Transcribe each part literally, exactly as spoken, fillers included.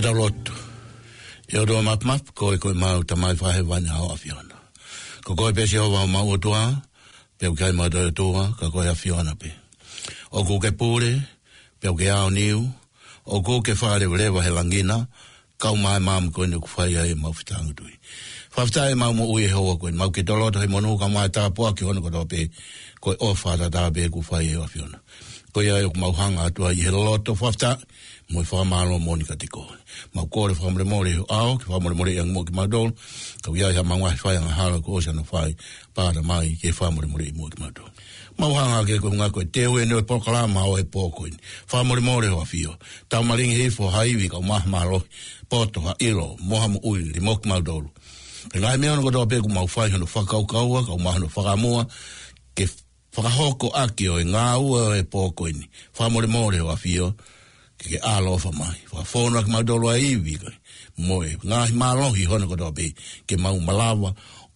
Tau lotu. ʻE ʻOtua Mafimafi, ko koe ko ʻemau Tamai Fakahēvani ʻa ho ʻAfiona. Ko koe pē Sihova homau ʻOtua, pea ʻoku ʻikai ha toe ʻOtua, ka ko e ʻAfiona pē. ʻOku ke pule, pea ʻoku ke aoniu, ʻoku ke fakalevaleva he langi na, kau mai ʻemau māmani ko eni ʻoku fai ai ʻemau fetāngutuʻi. Fakafetaʻi ʻemau moʻui he houa ko eni, mau ke toloto he monū kau mai tāpuaki hono kotoa pē, ko e ʻofa tatau pē ʻoku fai ʻe ho ʻAfiona. Ko ia ai ʻoku mau hanga atu ai he loto fakafetaʻi mo e fakamālō moʻoni kiate koe. Mau kole fakamolemole ʻi ho ʻao, ke fakamolemoleʻi ange muʻa kimautolu. Ka ʻoku ʻi ai haʻamau ngaahi fai angahala kuo ʻosi ʻanai fai, pāta mai ke fakamolemoleʻi muʻa kimautolu. Mau hanga hake ko e ngaahi ko e teu ʻeni ʻo e polokalama ʻo e pō ko eni. Fakamolemole ho ʻAfio. Tau malingi hifo ha ivi kau mai ha mālohi, poto, ha ʻilo, mo ha moʻui ʻi muʻa kimautolu. He ngaahi meʻa hono kotoa pē ʻoku mau fai hono fakakaukaua, kau mai hono fakamua, ke fakahoko ʻaki ʻo e ngāue ʻo e pō ko eni. Fakamolemole ho ʻAfio, ke ke ʻaloʻofa mai. Fakafonu ʻaki kimautolu ʻa e ivi ko ē, mo e ngaahi mālohi hono kotoa pē, ke mau malava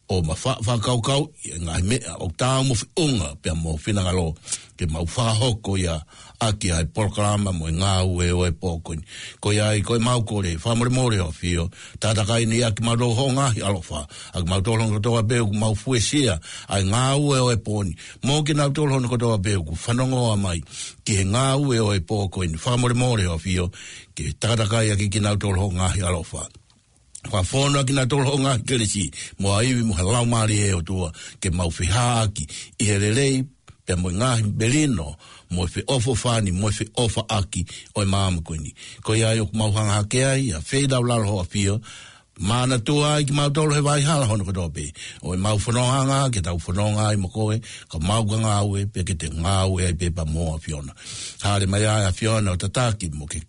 ʻo ma fa-, fakakaukau ʻi he ngaahi meʻa ʻoku taau mo e feʻunga pea mo ho finangalo, ke mau fakahoko ia ʻaki ʻa e polokalama mo e ngāue ʻo e pō ko eni. Ko ia ai ko ʻemau kole, fakamolemole ho ʻAfio, takatakai ni ʻaki kimautolu ho ngaahi ʻaloʻofa, ʻaki kimautolu hono kotoa pē ʻoku mau fuesia ʻa e ngāue ʻo e pō ni. Mo kinautolu hono kotoa pē ʻoku fanongoa mai ki he ngāue ʻo e pō ko eni. Fakamolemole ho ʻAfio, ke takatakai ʻaki kinautolu ho ngaahi ʻaloʻofa. Fakafonu ʻaki kinautolu ho ngaahi kelesi, mo ha ivi mo ha laumālie ʻo e ʻOtua, ke mau fihāʻaki ʻi he lelei, pea mo e ngaahi melino, mo e feʻofoʻofani, mo e feʻofaʻaki ʻo e māmani ko eni. Ko ia ai ʻoku mau hanga hake ai, ʻa e feilaulau ho ʻAfio, manatua ai kimautolu he vahaʻa hono kotoa pē. ʻO ʻemau fononga ke tau fononga ai mo koe, ka mau ka ngāue, pea ke te ngāue ai pē pea mo ho ʻAfiona. Hāʻele mai ʻa e ʻAfiona ʻo tataki mo ke,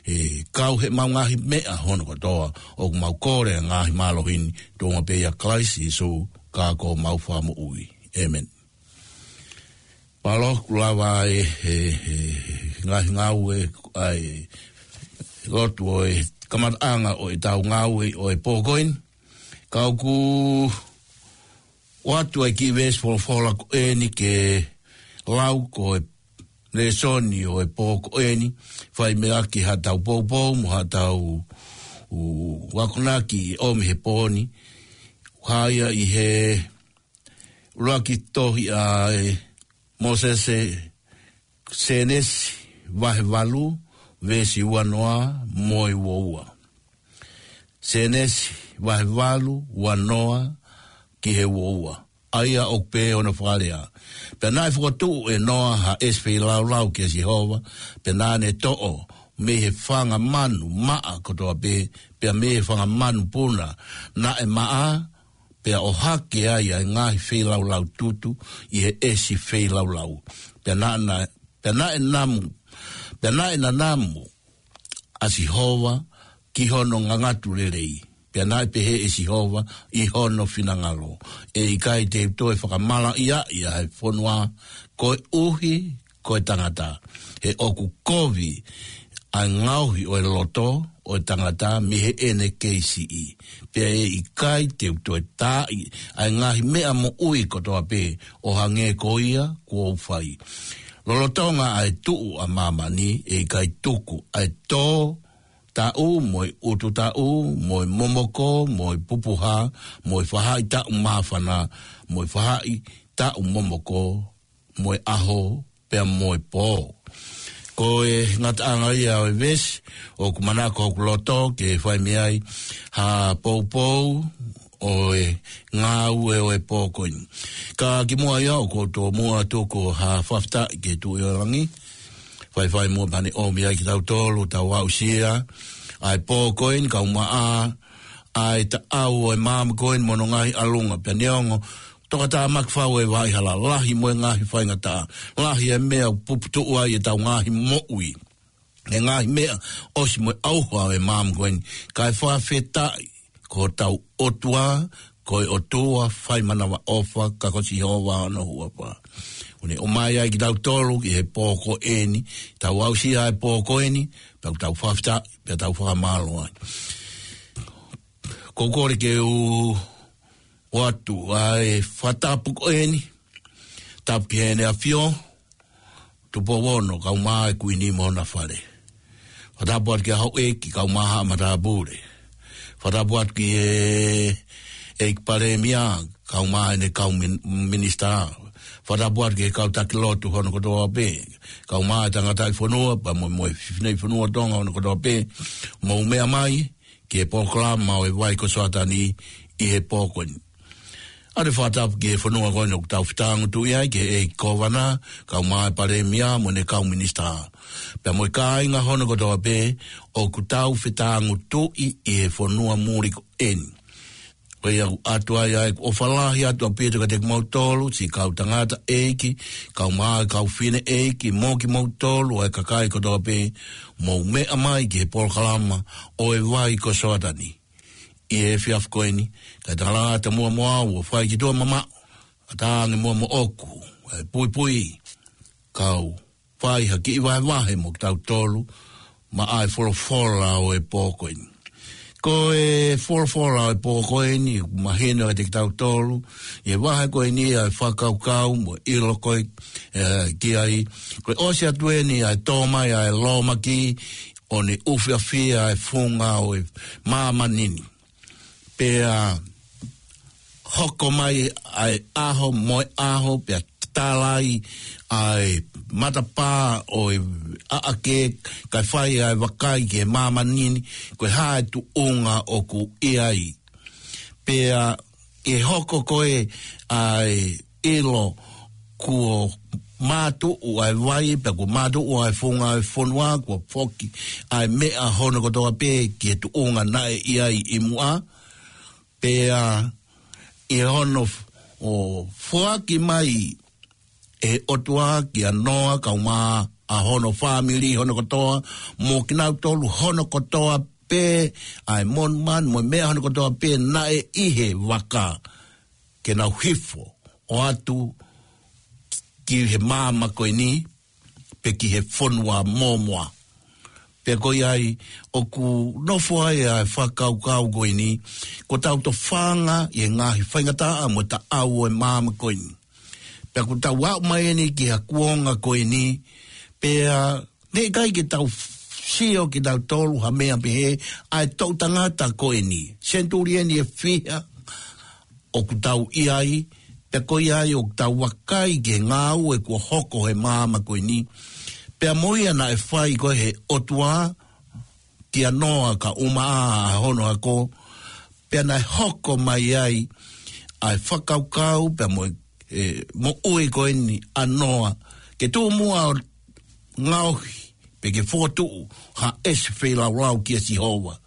ʻe kau heʻemau ngaahi meʻa hono kotoa, ʻoku mau kole ʻa e ngaahi mālohi ni, tuʻunga pē ʻia Kalaisi Sīsū, ka ko homau Fakamoʻui. ʻĒmeni. Mālō, kuo lava e, e, e, ngaahi ngāue, ʻa e lotu ʻo e kamataʻanga ʻo ʻetau ngāue ʻo e pō ko eni. Ka ʻoku ʻoatu ʻa e kiʻi veesi folofola ko eni ke lau ko e lēsoni ʻo e pō ko eni, fai mei he ʻaki haʻatau poupou, mo haʻatau, ʻū, akonaki ʻomi he pō ni, hā ia ʻi he ʻuluaki tohi ʻa e Mōsese, Sēnesi vahe valu, veesi ua noa mo e ua ua. Sēnesi vahe valu, ua noa ki he ua ua. ʻA ia ʻoku pehē hono fakalea: Pea naʻe fokotuʻu ʻe Noa ha ʻesi feilaulau kia Sihova, pea naʻa ne toʻo mei he fanga manu maʻa kotoa pē, pea mei he fanga manu puna naʻe maʻa, pea ʻohake ai ʻa e ngaahi feilaulau tutu ʻi he ʻesi feilaulau. Pea naʻa na, pea naʻe namu, pea naʻe nanamu ʻa Sihova ki hono ngangatu lelei. Pea naʻe pehē ʻe Sihova ʻi hono finangalo: ʻE ʻikai te u toe fakamalaʻiaʻi ʻa e fonua koeʻuhi ko e tangata. He ʻoku kovi ʻa e ngaohi ʻo e loto ʻo e tangata mei heʻene kei siʻi. Pea ʻe ʻikai te u toe taaʻi ʻa e ngaahi meʻa moʻui kotoa pē ʻo hangē ko ia kuo u fai. Lolotonga ʻa e tuʻu ʻa māmani, ʻe ʻikai tuku ʻa e tō taʻu, mo e ʻutu taʻu, mo e momoko, mo e pupuha, mo e fahaʻi taʻu māfana, mo e fahaʻi taʻu momoko, mo e ʻaho, pea mo e pō. Ko e ngataʻanga ia ʻo e veesi, ʻoku manako hoku loto ke fai mei ai ha poupou ʻo e ngāue ʻo e pō ko eni. Ka kimuʻa ia, ʻoku ou tomuʻa tuku ha fakafetaʻi ki he Tuʻi ʻo Langi. Faifai muʻa pea ne ʻomi ai kitautolu, tau aʻusia ʻa e pō ko eni, kau maʻa ʻa e taʻau ʻo e māmani ko eni mo hono ngaahi ʻalunga, pea neongo tokatāmaki fau e vaʻa hala, lahi mo e ngaahi faingataʻa, lahi e meʻa ʻoku puputuʻu ai ʻetau ngaahi moʻui, e ngaahi meʻa ʻosi mo e ʻauha ʻo e māmani ko eni, kae fakafetaʻi ko hotau ʻOtua, ko e ʻOtua fai manavaʻofa, ka ko Sihova hono huafa. ʻOku ne ʻomai ai kitautolu ki he pō ko eni, tau aʻusia e pō ko eni, pea tau fakafetaʻi, pea tau fakamālō ai. ʻOku ou kole ke u ʻoatu ʻa e fakatapu ko eni, tapu ki Heʻene ʻAfio, Tupou Ono, kau mai e Kuini mo hona fale. Fakatapu atu ki he houʻeiki, kae ʻumaʻā haʻa matāpule. Fakatapu atu ki he ʻEiki Palēmia, kae ʻumaʻā ʻene kau min-, minisitā. Fakatapu atu ki he kau taki lotu hono kotoa pē, kae ʻumaʻā e tangataʻi fonua, pea mo, mo e fineʻeiki fonua Tonga hono kotoa pē, mou meʻa mai ki he polokalama ʻo e Vai ko Soatani ʻi he pō ko eni. ʻA e fakatapu ki he fonua ko eni ʻoku tau fetāngutuʻi ai, ki he ʻEiki Kōvana, kae ʻumaʻā e Palēmia mo ʻene kau minisitā. Pea mo e kāinga hono kotoa pē ʻoku tau fetāngutuʻi ʻi he fonua muli ko eni. Ko ia ʻoku ʻoatu ai ʻa e ʻofa lahi atu ʻaupito kiate kimoutolu, siʻi kau tangataʻeiki, kae ʻumaʻā e kau fineʻeiki, mo kimoutolu ʻa e kakai kotoa pē, mou meʻa mai ki he polokalama ʻo e Vai ko Soatani ʻi he efiafi ko eni, kae talangata muʻa mo au ʻo fai ki tuʻa mamaʻo, ʻatā ange muʻa moʻoku ʻa e puipui, kau fai ha kiʻi vahevahe mo kitautolu maʻa e folofola ʻo e pō ko eni. Ko e folofola ʻo e pō ko eni, mahino kiate kitautolu ʻi he vahe ko eni ʻa e fakakaukau mo e ʻilo ko ē, ē, ki ai, ko e ʻosi atu eni ʻa e tō mai ʻa e lōmaki, ʻo ne ʻufiʻufi ʻa e funga ʻo e māmani ni. Pea hoko mai ʻa e ʻaho mo e ʻaho, pea tālai ʻa e matapā ʻo e ʻaʻake, kae fai ʻa e vakai ki he māmani ni, ko e hā e tuʻunga ʻoku ʻi ai. Pea ʻi he hoko ko ē ʻa e ʻilo kuo mātuʻu ʻa e vai, pea kuo mātuʻu ʻa e funga ʻo e fonua, kuo foki ʻa e meʻa hono kotoa pē ki he tuʻunga naʻe ʻi ai ʻi muʻa. Pea ʻi hono f-, ʻo foaki mai ʻe he ʻOtua kia Noa, kae ʻumaʻā hono fāmili hono kotoa, mo kinautolu hono kotoa pē, ʻa e monumanu mo e meʻa hono kotoa pē naʻe ʻi he vaka, ke nau hifo ʻo ʻoatu ki he māmani ko eni, pe ki he fonua mōmoa. Pea ko ia ai ʻoku nofo ai ʻa e fakakaukau ko eni, ko ʻetau tofanga ʻi he ngaahi faingataʻa mo e taʻau ʻo e māmani ko eni. Pea kuo tau aʻu mai eni ki ha kuonga ko eni, pea naʻe ʻikai ke tau sio kitautolu ha meʻa pehē, ʻa e toʻu tangata ko eni, senituli eni ʻe fiha ʻoku tau ʻi ai, pea ko ia ai ʻoku tau vakai ki he ngāue kuo hoko he māmani ko eni. Pea mo ia naʻe fai ko ē he ʻOtua kia Noa kae ʻumaʻā hono ako, pea naʻe hoko mai ai ʻa e fakakaukau, pea mo e, ʻe, moʻui ko eni ʻa Noa, ke tuʻu muʻa ʻo ngaohi, pe ke fokotuʻu ha ʻesi feilaulau kia Sihova.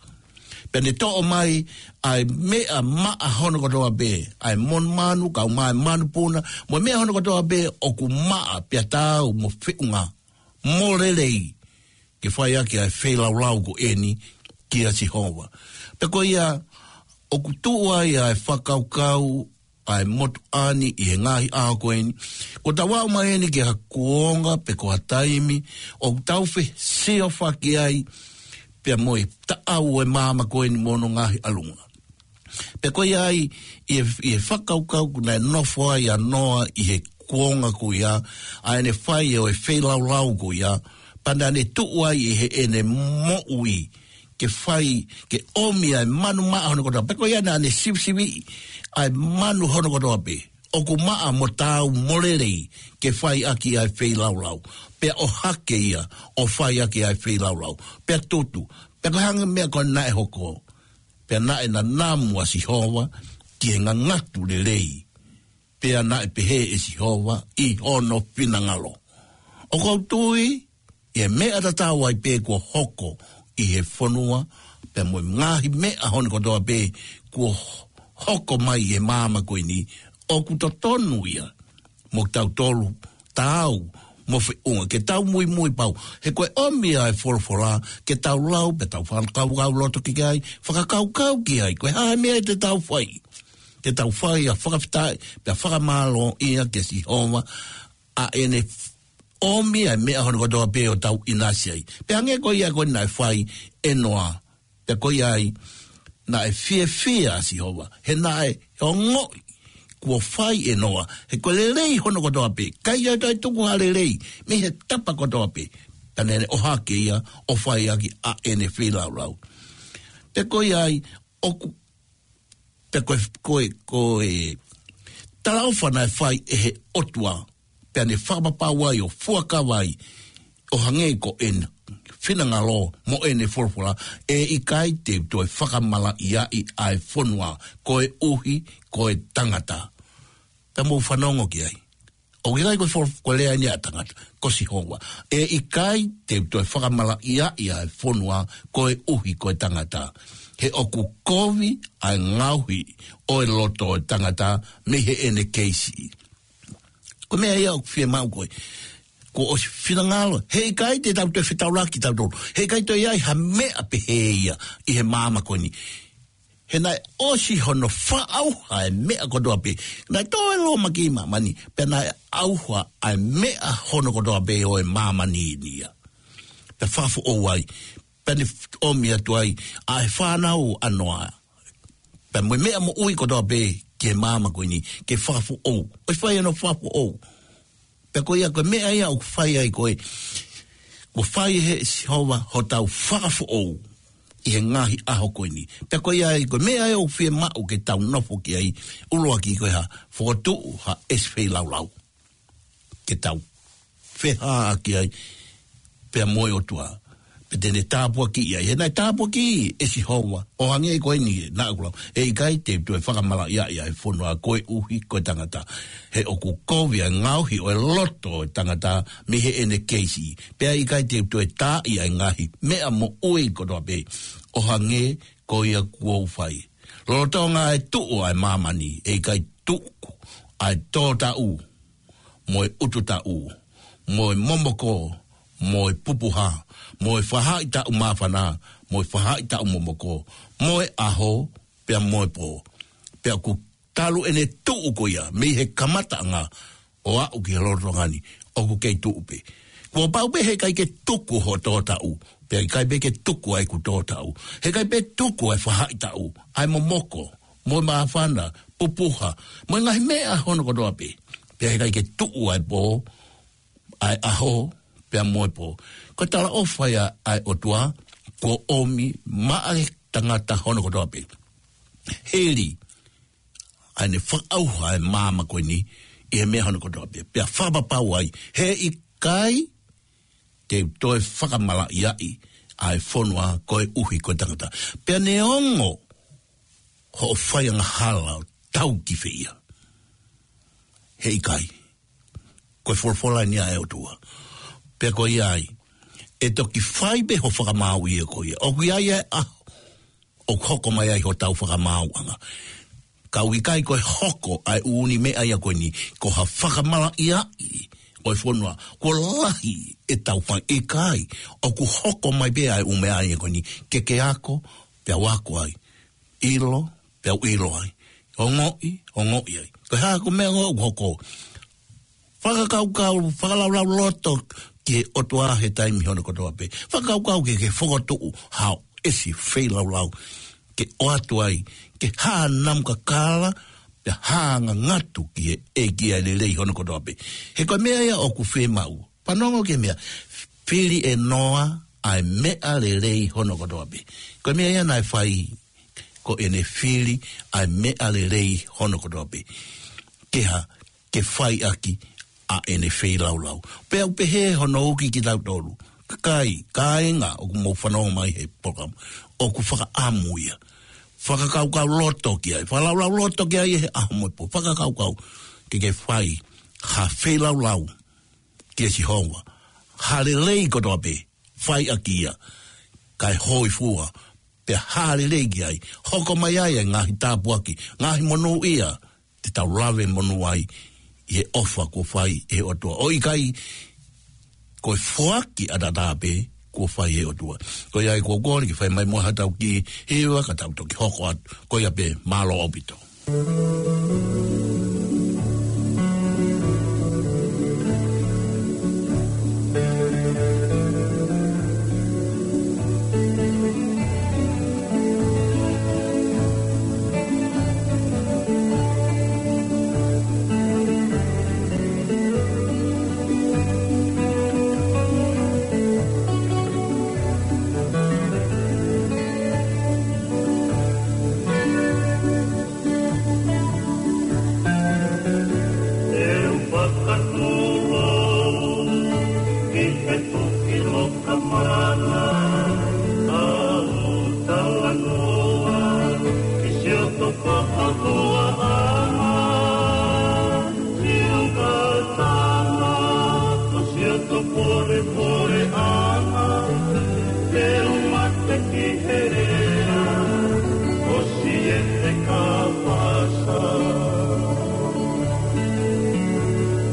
Pea ne toʻo mai ʻa e meʻa maʻa hono kotoa pē, ʻa e monumanu, kae ʻumaʻā e manupuna, mo e meʻa hono kotoa pē ʻoku maʻa pea taau mo feʻunga, mo lelei, ke fai ʻaki ʻa e feilaulau ko eni kia Sihova. Pea ko ia ʻoku tuʻu ai ʻa e fakakaukau ʻa e motuʻa ni ʻi he ngaahi ʻaho ko eni. Kuo tau aʻu mai eni ki ha kuonga pe ko ha taimi ʻoku tau fesiofaki ai pea mo e taʻau ʻo e māmani ko eni mo hono ngaahi ʻalunga. Pea ko ia ai, ʻi he, ʻi he fakakaukau ko ē naʻe nofo ai ʻa Noa ʻi he kuonga ko ia, ʻa ʻene fai ʻo e feilaulau ko ia, pea naʻa ne tuʻu ai ʻi heʻene moʻui, ke fai, ke ʻomi ʻa e manu maʻa hono kotoa. Pea ko ia naʻa ne sivisiviʻi ʻa e manu hono kotoa pē ʻoku maʻa mo taau mo lelei ke fai ʻaki ʻa e feilaulau. Pea ʻohake ia ʻo fai ʻaki ʻa e feilaulau. Pea tutu. Pea ko e hangē meʻa ko ē naʻe hoko. Pea naʻe nanamu ʻa Sihova ki he ngangatu lelei. Pea naʻe pehē ʻe Sihova ʻi hono finangalo. ʻOku ou tui, ʻi he meʻa tatau ai pē kuo hoko ʻi he fonua, pea mo e ngaahi meʻa hono kotoa pē kuo hoko mai ʻi he māmani ko eni, ʻoku totonu ia mo kitautolu, taau mo feʻunga, ke tau muimui pau. He ko e ʻomi ʻa e folofola, ke tau lau, pea tau fakakaukau loto ki ai, fakakaukau ki ai, ko e hā e meʻa te tau fai. Te tau fai ʻa e fakafetaʻi, pea fakamālō ia kia Sihova, ʻa ʻene ʻomi ʻa e meʻa hono kotoa pē ʻo tau ʻinasi ai. Pea hangē ko ia ko ē naʻe fai ʻe Noa. Pea ko ia ai, naʻe fiefia ʻa Sihova. He naʻe ongoʻi kuo fai ʻe Noa. He ko e lelei hono kotoa pē. ʻIkai ʻi ai ha toe tuku ha lelei mei he tapa kotoa pē. Ka naʻá ne ʻohake ia ʻo fai ʻaki ʻa ʻene feilaulau. Pea ko ia ai, ʻoku, pea ko e, ko e, ko e talaʻofa naʻe fai ʻe he ʻOtua, pea ne fakapapau ai ʻo fuakava ai, ʻo hangē ko ʻene finangalo mo ʻene folofola, ʻe ʻikai te u toe fakamalaʻiaʻi ʻa e fonua koeʻuhi ko e tangata. Pea mou fanongo ki ai. ʻOku ʻikai ko e fo-, ko e lea eni ʻa e tangata, ko Sihova. ʻE ʻikai te u toe fakamalaʻiaʻi ʻa e fonua koeʻuhi ko e tangata. He ʻoku kovi ʻa e ngaohi ʻo e loto ʻo e tangata mei heʻene kei siʻi. Ko e meʻa ia ʻoku fiemaʻu ko ē. Kuo ʻosi finangalo. He ʻikai te tau toe fetaulaki tautolu. He ʻikai toe ʻi ai ha meʻa pehē ia ʻi he māmani ko eni. He naʻe ʻosi hono fakaʻauha e meʻa kotoa pē. Naʻe toe lōmaki ʻi māmani, pea naʻe ʻauha ʻa e meʻa hono kotoa pē ʻo e māmani ni ia. Pea fakafoʻou ai, pea ne ʻomi atu ai ʻa e fānau ʻa Noa. Pea mo e meʻa moʻui kotoa pē ki he māmani ko eni, ke fakafoʻou. ʻOsi fai hono fakafoʻou. Pea ko ia ko e meʻa ia ʻoku fai ai ko ē. Kuo fai ʻe Sihova hotau fakafoʻou ʻi he ngaahi ʻaho ko eni. Pea ko ia ai ko e meʻa ia ʻoku fiemaʻu ke tau nofo ki ai, ʻuluaki ko e hā, fokotuʻu ha ʻesi feilaulau. Ke tau feʻaʻaki ai, pea mo e ʻOtua. Pea te ne tāpuakiʻi ai. He naʻe tāpuakiʻi ʻe Sihova. ʻO hangē ko eni naʻá ku lau. ʻE ʻikai te u toe fakamalaʻiaʻi ʻa e fonua koeʻuhi ko e tangata. He ʻoku kovi ʻa e ngaohi ʻo e loto ʻo e tangata mei heʻene kei siʻi. Pea ʻikai te u toe taaʻi ʻa e ngaahi meʻa moʻui kotoa pē. ʻO hangē ko ia kuo u fai. Lolotonga ʻa e tuʻu ʻa e māmani. ʻE ʻikai tuku ʻa e tōtaʻu mo e ʻutu taʻu, mo e momoko, mo e pupuha, mo e faʻahitaʻu māfana, mo e faʻahitaʻu momoko, mo e ʻaho, pea mo e pō. Pea ʻoku talu ʻene tuʻu ko ia, mei he kamataʻanga ʻo aʻu ki he lolotonga ni, ʻoku kei tuʻu pē. Kuo pau pē he ʻikai ke tuku hoʻo tōtaʻu, pea ʻikai pē ke tuku ʻa ʻeku tōtaʻu. He ʻikai pē tuku ʻa e faʻahitaʻu, ʻa e momoko, mo e māfana, pupuha, mo e ngaahi meʻa hono kotoa pē. Pea ʻikai ke tuʻu ʻa e pō, ʻa e ʻaho, pea mo e pō. Ko e talaʻofa ia ʻa e ʻOtua, kuo ʻomi maʻa e tangata hono kotoa pē. Hili, ʻa ʻene fakaʻauha ʻa e māmani ko eni, ʻi he meʻa hono kotoa pē. Pea fakapapau ai, he ʻikai te u toe fakamalaʻiaʻi ʻa e fonua koeʻuhi ko e tangata. Pea neongo hoʻo fai angahala ʻo tau ki fē ia. He ʻikai. Ko e folofola eni ʻa e ʻOtua. Pea ko ia ai. ʻE toki fai pē hoʻo fakamaau ia ko ia. ʻOku ʻi ai ʻa e ʻaho ʻoku hoko mai ai hotau fakamaauʻanga. Ka ʻoku ʻikai ko e hoko ʻa e ʻū meʻa ia ko eni, ko ha fakamalaʻiaʻi ʻo e fonua, kuo lahi ʻetau fai ʻikai, ʻoku hoko mai pē ʻa e ʻū meʻa ia ko eni, ke ke ako, pea u ako ai, ʻilo, pea u ʻilo ai, ongoʻi, ongoʻi ai. Ko e hā ko e meʻa ʻoku hoko. Fakakaukau, fakalaulauloto ki he ʻOtua he taimi hono kotoa pē. Fakakaukau ke ke fokotuʻu haʻo ʻesi feilaulau. Ke ʻoatu ai, ke hā namu kakala, pea hā ngangatu ki he ʻEiki ʻa e lelei hono kotoa pē. He ko e meʻa ia ʻoku fiemaʻu. Fanongo ki he meʻa, fili ʻe Noa ʻa e meʻa lelei hono kotoa pē. Ko e meʻa ia naʻe fai ko ʻene fili ʻa e meʻa lelei hono kotoa pē. Ke hā, ke fai ʻaki ʻa ʻene feilaulau. Pea u pehē hono uki kitautolu. Kakai, kāinga, ʻoku mou fanongo mai he polokalama. ʻOku fakaʻamu ia. Fakakaukauloto ki ai. Fakalaulauloto ki ai he ʻaho mo e pō. Fakakaukau. Ke ke fai ha feilaulau kia Sihova. Ha lelei kotoa pē. Fai ʻaki ia. Kae hōifua. Pea ha lelei ki ai. Hoko mai ai ʻa e ngaahi tāpuaki. Ngaahi monūʻia. Te tau lave monū ai ʻi he ʻofa kuo fai ʻe he ʻOtua. ʻO ʻikai ko e foaki ʻataʻatā pē kuo fai ʻe he ʻOtua. Ko ia ai kuo kole ke fai mai mo hatau ki hiva ka tau toki hoko atu. Ko ia pē, mālō ʻaupito. Ana, ʻa ʻoku talanoa ki siʻoto fakahuaʻanga, siʻoka tama, ko siʻoto polepoleʻanga, te u mate ki he lea ʻo Siete Kapasa.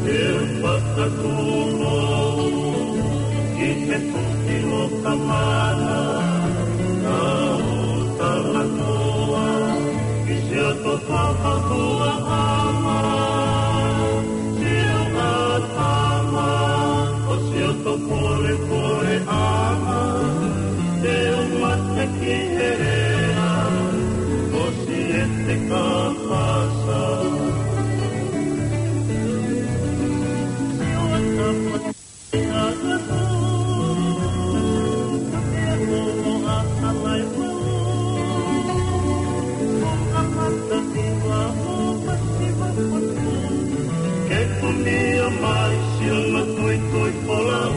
Te u fakatuʻu ki he Tuʻi Lokamana, ʻa ʻoku talanoa ki siʻoto fakahuaʻanga, siʻoka tama, ko siʻoto polepoleʻanga, te u mate ki he lea ʻo Siete Kapasa. Ke kunia mai siʻono tuitui folau.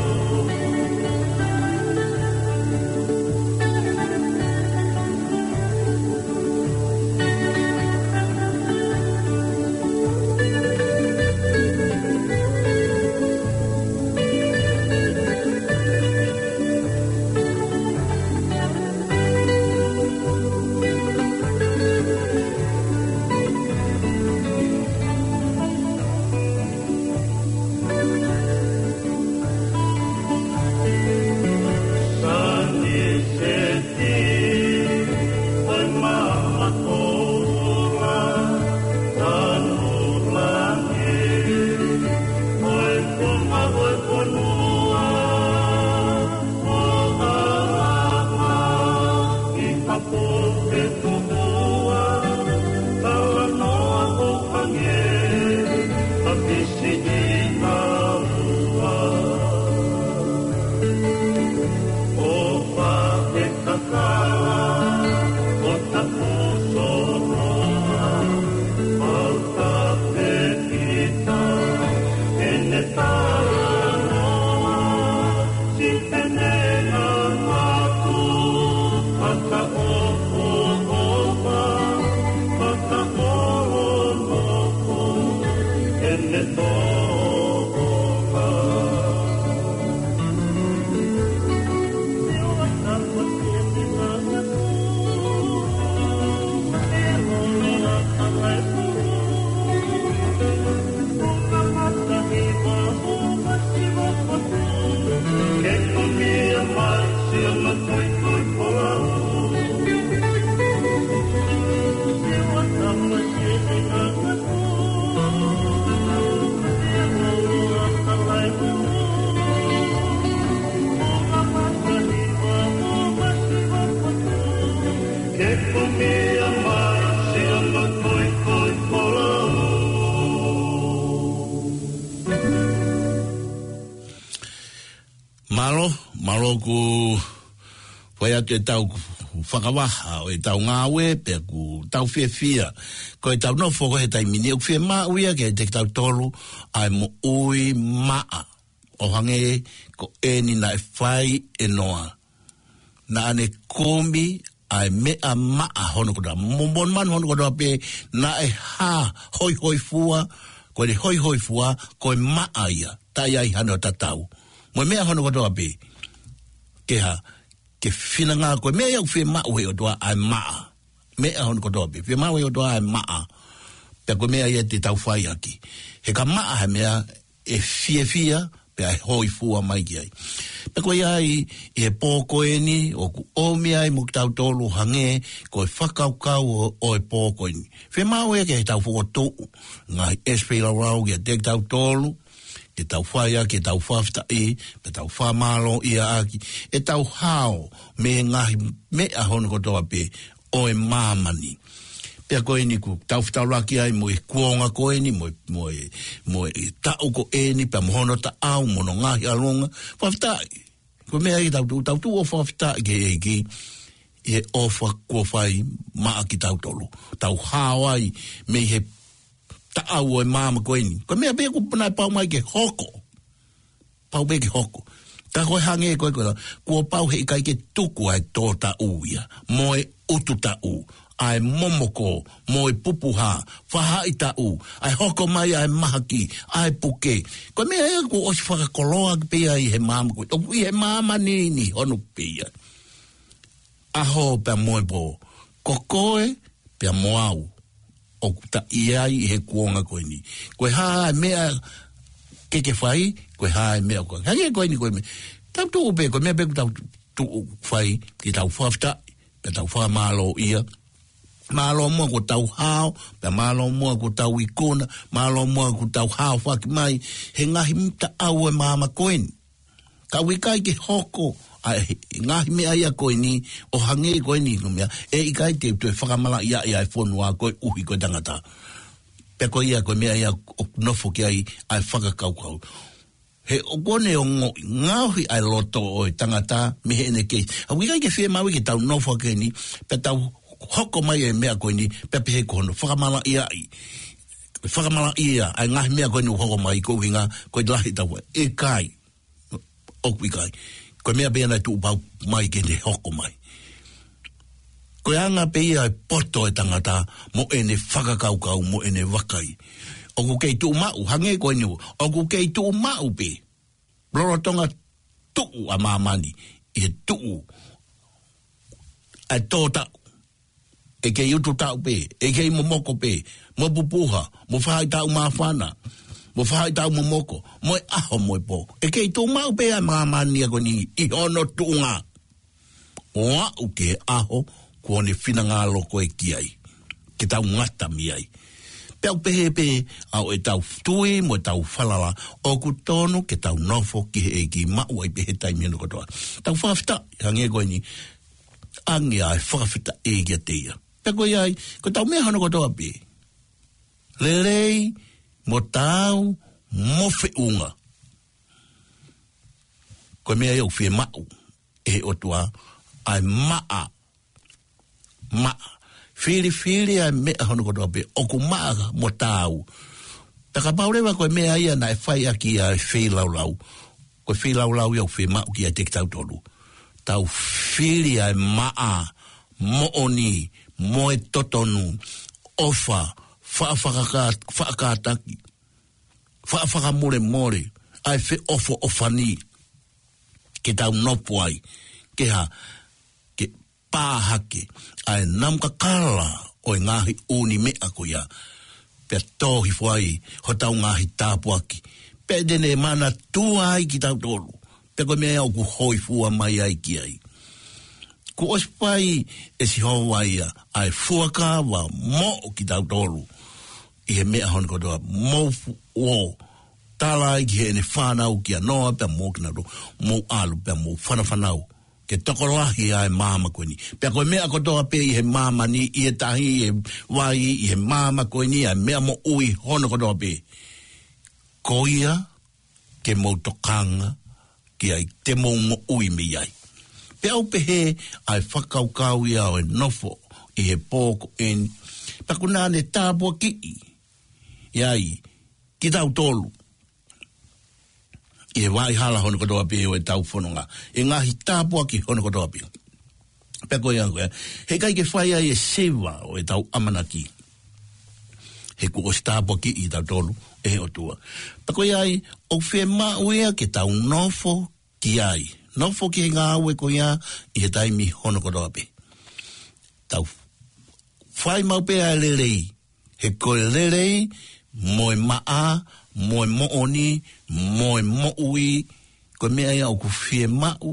Ke kunia mai siʻono tuitui folau. Mālō, mālō ʻoku fai atu ʻetau fakavaha ʻo ʻetau ngāue, pea ʻoku tau fiefia ko ʻetau nofo ko ē he taimi ni. ʻOku fiemaʻu ia kiate kitautolu ʻa e moʻui maʻa, ʻo hangē ko eni naʻe fai ʻe Noa. Naʻa ne kumi ʻa e meʻa maʻa hono kotoa, mo, mo e manu hono kotoa pē, naʻe hā, hoihoifua, ko e hoihoifua, ko e maʻa ia, taʻe ʻi ai hano tatau. Mo e meʻa hono kotoa pē, ke hā, ke finangalo ko e meʻa ia ʻoku fiemaʻu ʻe he ʻOtua ʻa e maʻa. Meʻa hono kotoa pē, fiemaʻu ʻe he ʻOtua ʻa e maʻa. Pea ko e meʻa ia te tau fai ʻaki. He ka maʻa ha meʻa, ʻe fiefia, pea ʻe hoifua mai ki ai. Pea ko ia ai, ʻi he pō ko eni, ʻoku ʻomi ai mo kitautolu hangē ko e fakakaukau ʻo, ʻo e pō ko eni. Fiemaʻu ia ke tau fokotuʻu ngaahi ʻesipeli laulau kiate kitautolu, ke tau fai ʻaki ʻetau fakafetaʻi, pea tau fakamālō ia ʻaki ʻetau hao mei he ngaahi meʻa hono kotoa pē ʻo e māmani. Pea ko eni ʻoku tau fetaulaki ai mo e kuonga ko eni, mo e, mo e, mo e taʻu ko eni, pea mo hono taʻau, mo hono ngaahi ʻalunga, fakafetaʻi. Ko e meʻa ia tau tuʻu, tau tuʻu ʻo fakafetaʻi ki he ʻEiki, ʻi he ʻofa kuo fai maʻa kitautolu. Tau hao ai mei he taʻau ʻo e māmani ko eni. Ko e meʻa pē ʻoku puna pau mai ke hoko. Pau pē ke hoko. Ka ko e hangē ko ē ko ē, kuo pau he ʻikai ke tuku ʻa e tōtaʻu ia, mo e ʻutu taʻu, ʻa e momoko, mo e pupuha, fahaʻi taʻu, ʻa e hoko mai ʻa e mahaki, ʻa e puke. Ko e meʻa ia kuo ʻosi fakakoloa pē ia ʻi he māmani, ʻoku ʻi he māmani ni hono pē ia. ʻAho pea mo e pō, ko koe pea mo au, ʻoku ta ʻi ai ʻi he kuonga ko eni. Ko e hā e meʻa ke ke fai, ko e hā e meʻa ko ē. Hangē ko eni ko e meʻa. Tau tuʻu pē, ko e meʻa pē ʻoku tau tuʻu fai, ke tau fakafetaʻi, pea tau fakamālōʻia. Mālō muʻa kuo tau hao, pea mālō muʻa kuo tau ikuna, mālō muʻa kuo tau hao faki mai, he ngaahi mita au e māmani ko eni. Ka ʻoku ʻikai ke hoko ʻa e ngaahi meʻa ia ko eni, ʻo hangē ko eni ko e meʻa, ʻe ʻikai te u toe fakamalaʻiaʻi ʻa e fonua koeʻuhi ko e tangata. Pea ko ia ko e meʻa ia ʻoku nofo ki ai ʻa e fakakaukau. He ʻoku ne ongoʻi ngaohi ʻa e loto ʻo e tangata mei heʻene kei. ʻOku ʻikai ke fiemaʻu ke tau nofo ki heni, pea tau hoko mai e meʻa ko eni, pea pehē ko hono fakamalaʻiaʻi. Fakamalaʻia ʻa e ngaahi meʻa ko eni ʻoku hoko mai ko e ʻuhinga, ko e lahi tau. ʻIkai. ʻOku ʻikai. Ko e meʻa pē ia naʻe tuʻu pau mai ke ne hoko mai. Ko e anga pē ia e poto e tangata mo ʻene fakakaukau mo ʻene vakai. ʻOku kei tuʻu maʻu, hangē ko eni, ʻoku kei tuʻu maʻu pē. Lolotonga tuʻu ʻa māmani, ʻi he tuʻu ʻa e tōtaʻu. ʻE kei ʻutu taʻu pē, ʻe kei momoko pē, mo pupuha, mo fahaʻi taʻu māfana, mo fahaʻi taʻu momoko, mo e ʻaho mo e pō. ʻE kei tuʻu maʻu pē ʻa māmani ia ko eni ʻi hono tuʻunga. ʻO aʻu ki he ʻaho kuo ne finangalo ko ē ki ai. Ke tau ngata mei ai. Pea ʻoku pehē pē ʻa ʻetau tui mo ʻetau falala, ʻoku tonu ke tau nofo ki he ʻEiki, maʻu ai pē he taimi hono kotoa. Tau fakafetaʻi, hangē ko eni, ʻoange ʻa e fakafetaʻi kiate ia. Pea ko ia ai, ko ʻetau meʻa hono kotoa pē. Lelei, mo taau, mo feʻunga. Ko e meʻa ia ʻoku fiemaʻu ʻe he ʻOtua, ʻa e maʻa, maʻa. Filifili ʻa e meʻa hono kotoa pē, ʻoku maʻa mo taau. Pea kapau leva ko e meʻa ia naʻe fai ʻaki ʻa e feilaulau. Ko e feilaulau ia ʻoku fiemaʻu kiate kitautolu. Tau fili ʻa e maʻa, moʻoni, mo e totonu, ʻofa, faʻa fakaka-, faʻa kātaki, faʻa fakamolemole, ʻa e feʻofoʻofani, ke tau nofo ai, ke hā, ke pā hake ʻa e namu kakala ʻo e ngaahi ʻū meʻa ko ia, pea tō hifo ai hotau ngaahi tāpuaki, pea te ne manatua ai kitautolu, pea ko e meʻa ʻoku hōifua mai ai ki ai. Kuo ʻosi fai ʻe Sihova ia ʻa e fuakava moʻo kitautolu ʻi he meʻa hono kotoa, mou fu-, ʻo tala ai ki heʻene fānau kia Noa, pea mou kinautolu, mou ʻalu, pea mou fanafanau, ke tokolahi ʻa e māmani ko eni. Pea ko e meʻa kotoa pē ʻi he māmani, ʻi he tahi, ʻi he vai, ʻi he māmani ko eni, ʻa e meʻa moʻui hono kotoa pē, ko ia ke mou tokanga ki ai, te mou moʻui mei ai. Pea ʻoku pehē ʻa e fakakaukau ia ʻo e nofo ʻi he pō ko eni. Pea kuo ne tāpuakiʻi ia ai kitautolu ʻi he vaʻa hala hono kotoa pē ʻo ʻetau fononga, ʻi he ngaahi tāpuaki hono kotoa pē. Pea ko ia ko ē, he ʻikai ke fai ai e siva ʻo ʻetau ʻamanaki, he kuo ʻosi tāpuakiʻi kitautolu ʻe he ʻOtua. Pea ko ia ai, ʻoku fiemaʻu ia ke tau nofo ki ai. Nofo ki he ngāue ko ia ʻi he taimi hono kotoa pē. Tau fai maʻu pē ʻa e lelei, he ko e lelei, mo e maʻa, mo e moʻoni, mo e moʻui, ko e meʻa ia ʻoku fiemaʻu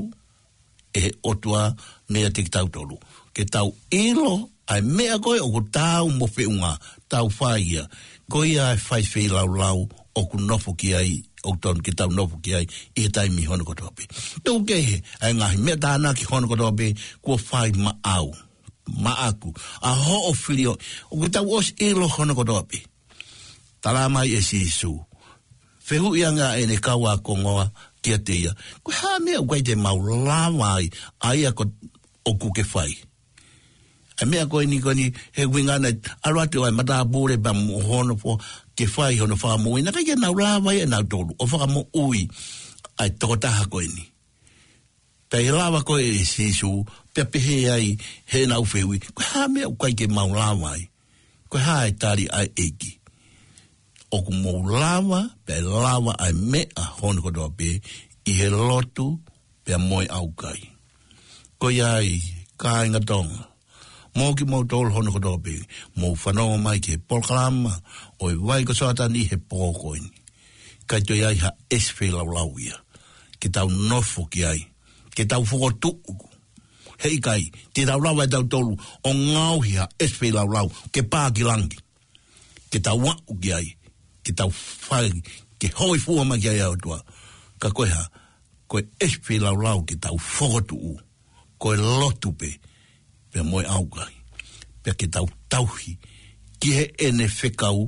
ʻe he ʻOtua meiate kitautolu. Ke tau ʻilo ʻa e meʻa ko ē ʻoku taau mo feʻunga, tau fai ia. Ko ia ʻa e fai feilaulau ʻoku nofo ki ai, ʻoku tonu ke tau nofo ki ai ʻi he taimi hono kotoa pē. Tuku kehe ʻa e ngaahi meʻa tānaki hono kotoa pē kuo fai maʻau, maʻaku, ʻa hoʻo filioʻi, ʻoku tau ʻosi ʻilo hono kotoa pē. Tala mai ʻe Sīsū, fehuʻi ange ʻa ʻene kau ākonga kiate ia, ko e hā e meʻa ʻoku ʻikai te mau lava ai, ʻa ia ko ē ʻoku ke fai? ʻA e meʻa ko eni ko eni, he ʻuhinga naʻe ʻalu atu ʻa e matāpule pea mo hono foha ke fai hono fakamoʻui, naʻe ʻikai ke nau lava ia ʻe nautolu ʻo fakamoʻui ʻa e tokotaha ko eni. Pea ʻi he lava ko ē ʻe Sīsū, pea pehē ai heʻenau fehuʻi, ko e hā e meʻa ʻoku ʻikai ke mau lava ai? Ko e hā e tali ʻa e ʻEiki? ʻOku mou lava, pea lava ʻa e meʻa hono kotoa pē ʻi he lotu, pea mo e ʻaukai. Ko ia ai, kāinga Tonga, mo kimoutolu hono kotoa pē, mou fanongo mai ki he polokalama ʻo e Vai ko Soatani he pō ko eni. ʻIkai toe ʻi ai ha ʻesi feilaulau ia ke tau nofo ki ai, ke tau fokotuʻu. Heʻikai te tau lava ʻe tautolu ʻo ngaohi ha ʻesi feilaulau ke pā ki langi, ke tau aʻu ki ai, ke tau fai, ke hōifua mai ki ai ʻa e ʻOtua. Ka ko e hā? Ko e ʻesi feilaulau ke tau fokotuʻu, ko e lotu pē, pea mo e ʻaukai. Pea ke tau tauhi ki heʻene fekau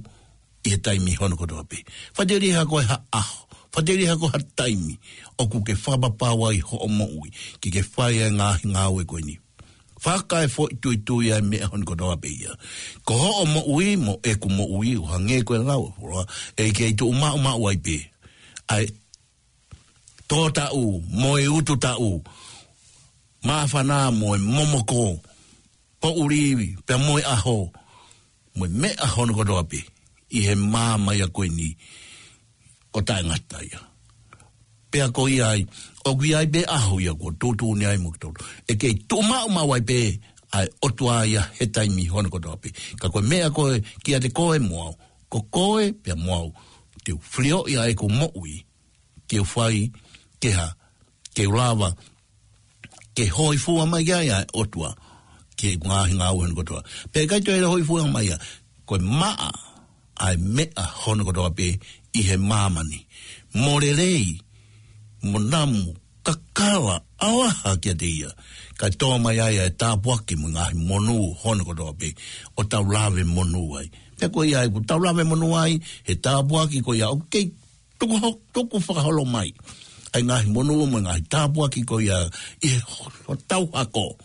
ʻi he taimi hono kotoa pē. Faʻiteliha ko e hā ʻaho, faʻiteliha ko e hā taimi ʻoku ke fakapapau ai hoʻo moʻui ke ke fai ʻa e ngaahi ngāue ko eni. Fakaefoʻituitui ʻa e meʻa hono kotoa pē ia. Ko hoʻo moʻui mo ʻeku moʻui, ʻo hangē ko e lau ʻa e folofola, ʻe kei tuʻu maʻumaʻu ai pē ʻa e tō taʻu mo e utu taʻu, māfana mo e momoko, poʻuli pea mo e ʻaho, mo e meʻa hono kotoa pē ʻi he maama ia ko eni ʻo taʻengata ia. Pea ko ia ai, ʻoku ʻi ai pē ʻaho ia kuo tuʻutuʻuni ai mo kitautolu, ʻe kei tuʻu maʻumaʻu ai pē ʻa e ʻOtua ia he taimi hono kotoa pē. Ka ko e meʻa ko ē kiate koe mo au, ko koe pea mo au, te u filioʻi ʻa ʻeku moʻui ke u fai, ke hā, ke u lava ke hōifua mai ki ai ʻa e ʻOtua ki he ngaahi ngāue hono kotoa. Pea ʻikai toe hōifua mai ia, ko e maʻa ʻa e meʻa hono kotoa pē ʻi he māmani, mo lelei, mo namu, kakala, ʻalaha kiate ia, kae tō mai ai ʻa e tāpuaki mo e ngaahi monū hono kotoa pē ʻo tau lave monū ai. Pea ko ia ai, kuo tau lave monū ai he tāpuaki ko ia, ʻoku kei tuku ho-, tuku fakaholo mai ʻa e ngaahi monū mo e ngaahi tāpuaki ko ia ʻi he ho-, hotau hako.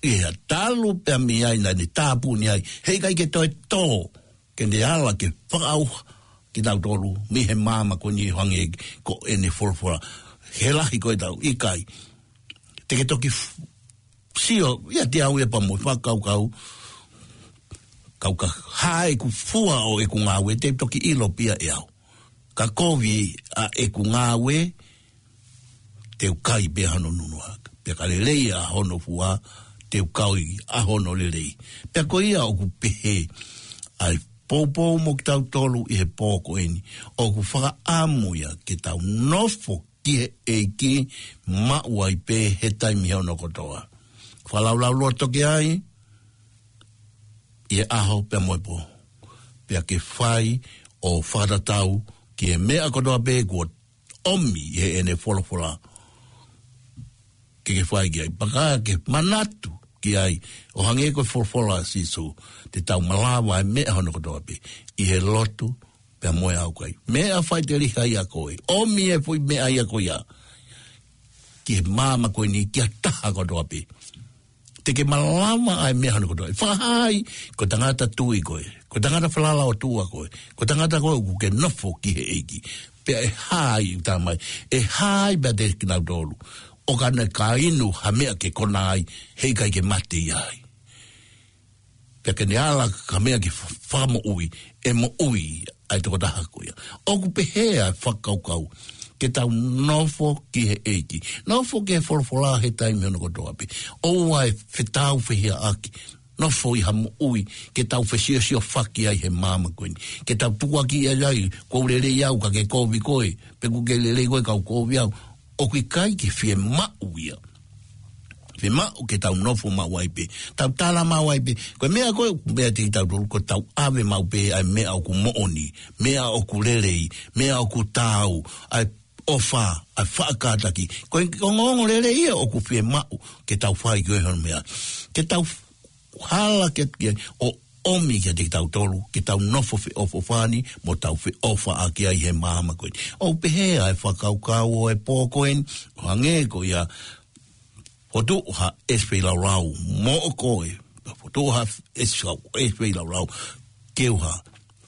ʻI he talu pē mei ai naʻa ne tāpuni ai, heʻikai ke toe tō, ke ne ala ke fakaʻauha kitautolu mei he maama ko eni, ʻo hangē ko ʻene folofola. He lahi ko ē tau ʻikai. Te ke toki f-, sio ʻiate au ia pea mo e fakakaukau, kau ka hā ʻeku fua ʻo ʻeku ngāue, te u toki ʻilo pē ia ʻe au. Ka kovi ʻa ʻeku ngāue, te u kai pē hono nunua. Pea ka lelei ʻa hono fua, te u kai ʻa hono lelei. Pea ko ia ʻoku pehē ʻa e poupou mo kitautolu ʻi he pō ko eni, ʻoku fakaʻamu ia ke tau nofo ki he ʻEiki, maʻu ai pē he taimi hono kotoa. Fakalaulauloto ki ai ʻi he ʻaho pea mo e pō, pea ke fai ʻo fakatatau ki he meʻa kotoa pē kuo ʻomi ʻe heʻene folofola ke ke fai ki ai. Pea ka ke manatu ki ai, ʻo hangē ko e folofola ʻa Sīsū, te tau malava ʻa e meʻa hono kotoa pē ʻi he lotu pea mo e ʻaukai. Meʻa faʻiteliha ia ko ē, ʻomi e foʻi meʻa ia ko ia ki he maama ko eni, ki ha taha kotoa pē. Te ke malava ʻa e meʻa hono kotoa. ʻE fakahā ai ko e tangata tui koe, ko e tangata falala ʻOtua koe, ko e tangata koe ʻoku ke nofo ki he ʻEiki. Pea ʻe hā ai, ʻoku talamai, ʻe hā ai pea ʻiate kinautolu ʻoka ne ka inu ha meʻa ke konā ai, heʻikai ke mate ia ai. Pea ke ne ala ka meʻa ke fa-, fakamoʻui, ʻe moʻui ʻa e tokotaha ko ia. ʻOku pehē ʻa e fakakaukau, ke tau nofo ki he ʻEiki. Nofo ki he folofola he taimi hono kotoa pē. ʻOua ʻe fetāufehiʻaki. Nofo ʻi ha moʻui ke tau fesiosiofaki ai he maama ko eni. Ke tau tukuakiʻi ai, kuo u lelei au ka ke kovi koe, pe kuo ke lelei koe ka u kovi au. ʻOku ʻikai ke fiemaʻu ia. Fiemaʻu ke tau nofo maʻu ai pē, tau tala maʻu ai pē. Ko e meʻa ko ē, meʻa te tau tolu, ko ʻetau ʻave maʻu pē ʻa e meʻa ʻoku moʻoni, meʻa ʻoku lelei, meʻa ʻoku taau, ʻa e ʻofa, ʻa e faʻa kātaki. Ko e ongoongo lelei ia ʻoku fiemaʻu ke tau fai ki he hono meʻa. Ke tau hala ke, ke ʻo ʻomi kiate kitautolu, ke tau nofo feʻofoʻofani, mo tau feʻofaʻaki ai he maama ko eni. ʻOku pehē ʻa e fakakaukau ʻo e pō ko eni, ʻo hangē ko ia, fokotuʻu ha ʻesi feilaulau moʻo koe, fokotuʻu ha ʻesi, ʻesi feilaulau, ke u hā,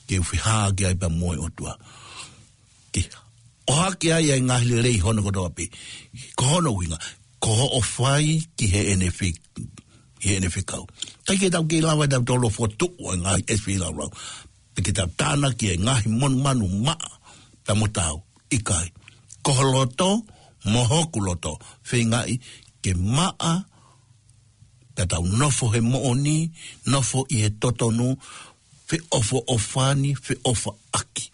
ke u fehāʻaki ai pea mo e ʻOtua. Ke ʻohake ai ʻa e ngaahi lelei hono kotoa pē. Ko hono ʻuhinga, ko hoʻo fai ki heʻene fe-, ki heʻene fekau. ʻIkai ke tau kei lava ʻe tautolu ʻo fokotuʻu ʻa e ngaahi ʻesi feilaulau. Pe ke tau tānaki e ngaahi monumanu maʻa, pea mo tau, ʻikai. Ko ho loto, mo hoku loto, feingaʻi ke maʻa, pea tau nofo he moʻoni, nofo ʻi he totonu, feʻofoʻofani, feʻofaʻaki.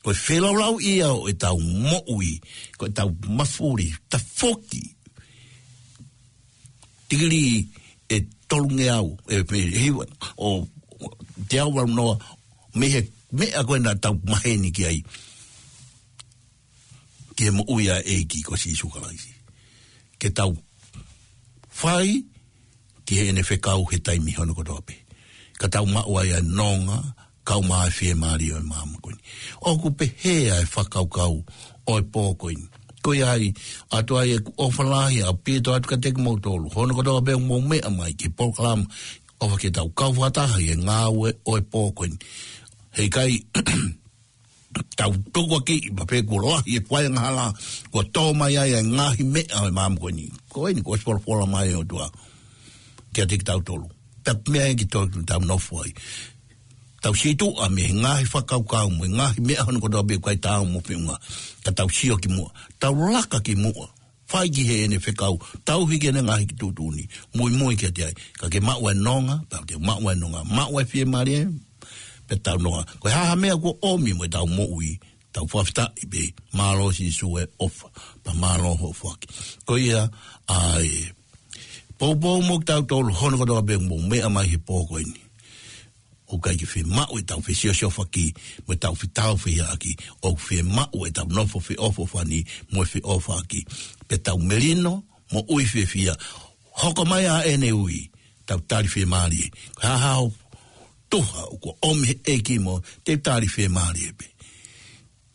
Ko e feilaulau ia ʻo ʻetau moʻui, ko ʻetau mafuli, tafoki. Tikilī ʻe tolungeau, ʻe pe hiva, ʻo, ʻo teau valu noa, mei he meʻa ko ē naʻa tau maheni ki ai. Ki he moʻui ʻa e ʻEiki ko Sīsū Kalaisi. Ke tau fai ki heʻene fekau he taimi hono kotoa pē. Ka tau maʻu ai ʻa e nonga, kau mai ʻa e fiemālie ʻo e maama ko eni. ʻOku pehē ʻa e fakakaukau ʻo e pō ko eni. Ko ia ai, ʻoatu ai ʻeku ʻofa lahi ʻaupito atu kiate kimoutolu. Hono kotoa pē ʻoku mou meʻa mai ki he polokalama ʻofa ke tau kau fakataha ʻi he ngāue ʻo e pō ko eni. Heʻikai tau tukuakiʻi pea pehē kuo lahi e faiangahala, kuo tō mai ai e ngaahi meʻa ʻo e maama ko eni. Ko eni kuo ʻosi folofola mai ʻOtua kiate kitautolu. Pea meʻa ia ke tau, tau nofo ai. Tau situʻa mei he ngaahi fakakaukau mo e ngaahi meʻa hono kotoa pē ʻoku ʻikai taau mo e feʻunga. Ka tau sio ki muʻa. Tau laka ki muʻa. Fai ki heʻene fekau, tauhi ki heʻene ngaahi tuʻutuʻuni, muimui kiate ia. Ka ke maʻu e nonga, pea te maʻu e nonga, maʻu e fiemālie, pea tau nonga. Ko e hā ha meʻa kuo ʻomi mo ʻetau moʻui, tau fakafetaʻi pē, mālō Sīsū e ʻofa, pea mālō hoʻo foaki. Ko ia, ʻa e poupou mo kitautolu, hono kotoa pē mou meʻa mai he pō ko eni. ʻOku ʻikai ke fiemaʻu ʻetau fesiosiofaki, mo ʻetau fetāufehiʻaki, ʻoku fiemaʻu ʻetau nofo feʻofoʻofani, mo e feʻofaʻaki. Pea tau melino, moʻui fiefia, hoko mai ʻa ʻene ui, tau tali fiemālie. Ko e hā ha tuʻunga ʻoku ʻomi he ʻEiki mo, te tali fiemālie pē.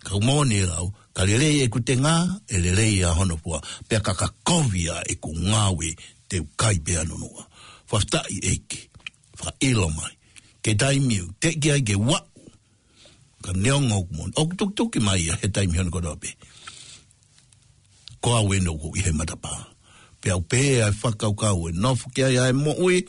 Ka ʻoku moʻoni e lau, ka lelei ʻeku tenga, ʻe lelei ʻa hono fua, pea ka ka kovi ʻa ʻeku ngāue, te u kai pea nunuʻa. Fakafetaʻi ʻEiki, fakaʻilo mai. Ke taimi ʻoku teʻeki ai ke u aʻu, ka neongo ʻoku moʻoni. ʻOku tukituki mai ia he taimi hono kotoa pē. Ko au ʻeni ʻoku ʻi he matapā. Pea u pehē ʻa e fakakaukau ʻe nofo ki ai ʻa e moʻui,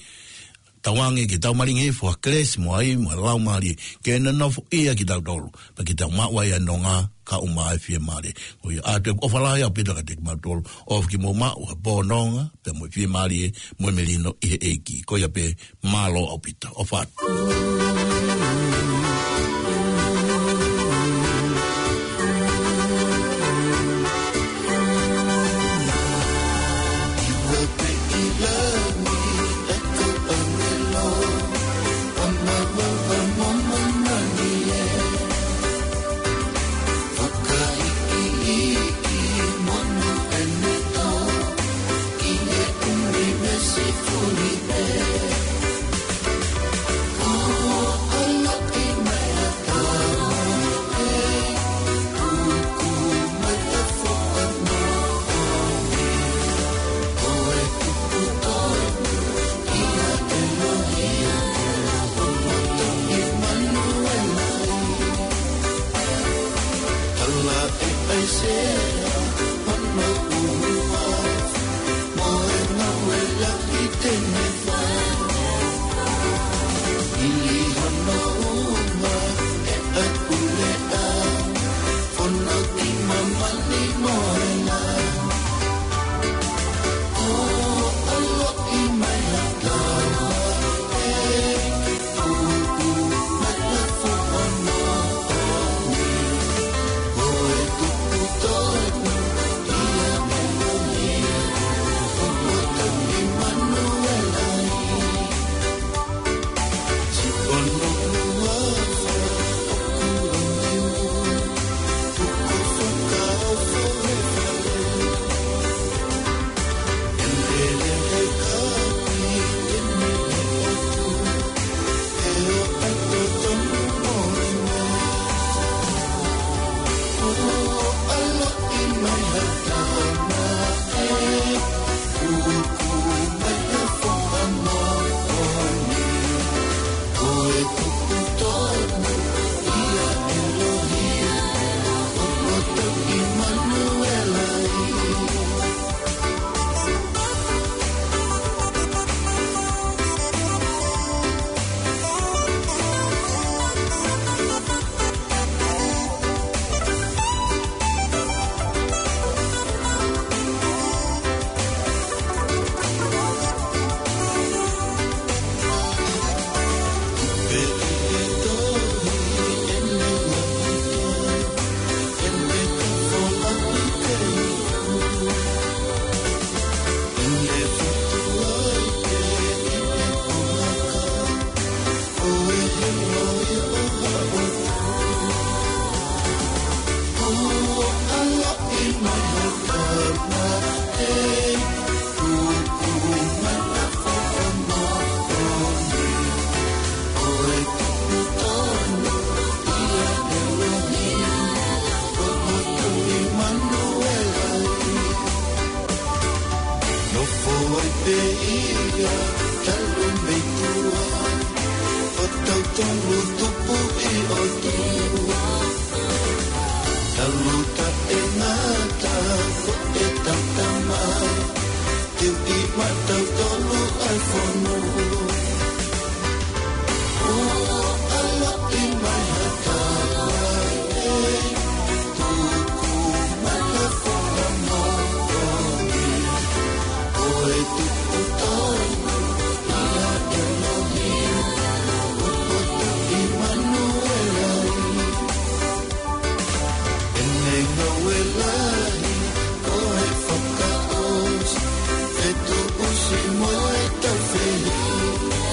tauange ke tau malingi hifo ʻa e kelesi mo e ʻai mo e Laumālie, ke ne nofo ia kitautolu, pea ke tau maʻu ai ʻa e nonga, kau mai ʻa e fiemālie. Ko ia ʻoatu ʻeku ʻofa lahi ʻaupito kiate kimautolu, ʻofa ke mou maʻu ha pō nonga, pea mo e fiemālie, mo e melino ʻi he ʻEiki. Ko ia pē, mālō ʻaupito, ʻofa atu. ʻOku ʻi ai pē ia talu mei tuʻa, ʻo tautolu tupu ʻi ʻOtua. Talu taʻengata ko ʻetau Tamai, te u ʻi maʻatautolu ʻa e fonua. ʻO ʻaloʻi mai ha Tamai, tuku mai ha foha moʻoni, ʻo e tupu tonu ʻia ʻElohim, ʻo e poto ʻImanuela. ʻEne ngāue lahi ko e fakaʻosi, fetuʻusi mo e taufehiʻa.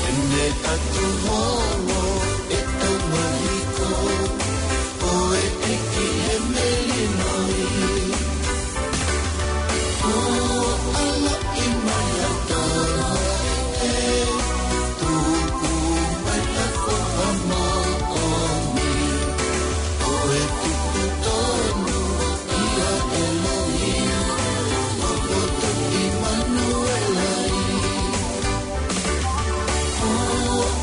ʻEne ʻatu holo ʻetau mahiko, ko e ʻEiki he melino. ʻO ʻaloʻi mai ha Tamai, tuku mai ha foha moʻoni, ʻo e tupu tonu ʻia ʻElohim, ʻo e poto ʻImanuela. ʻO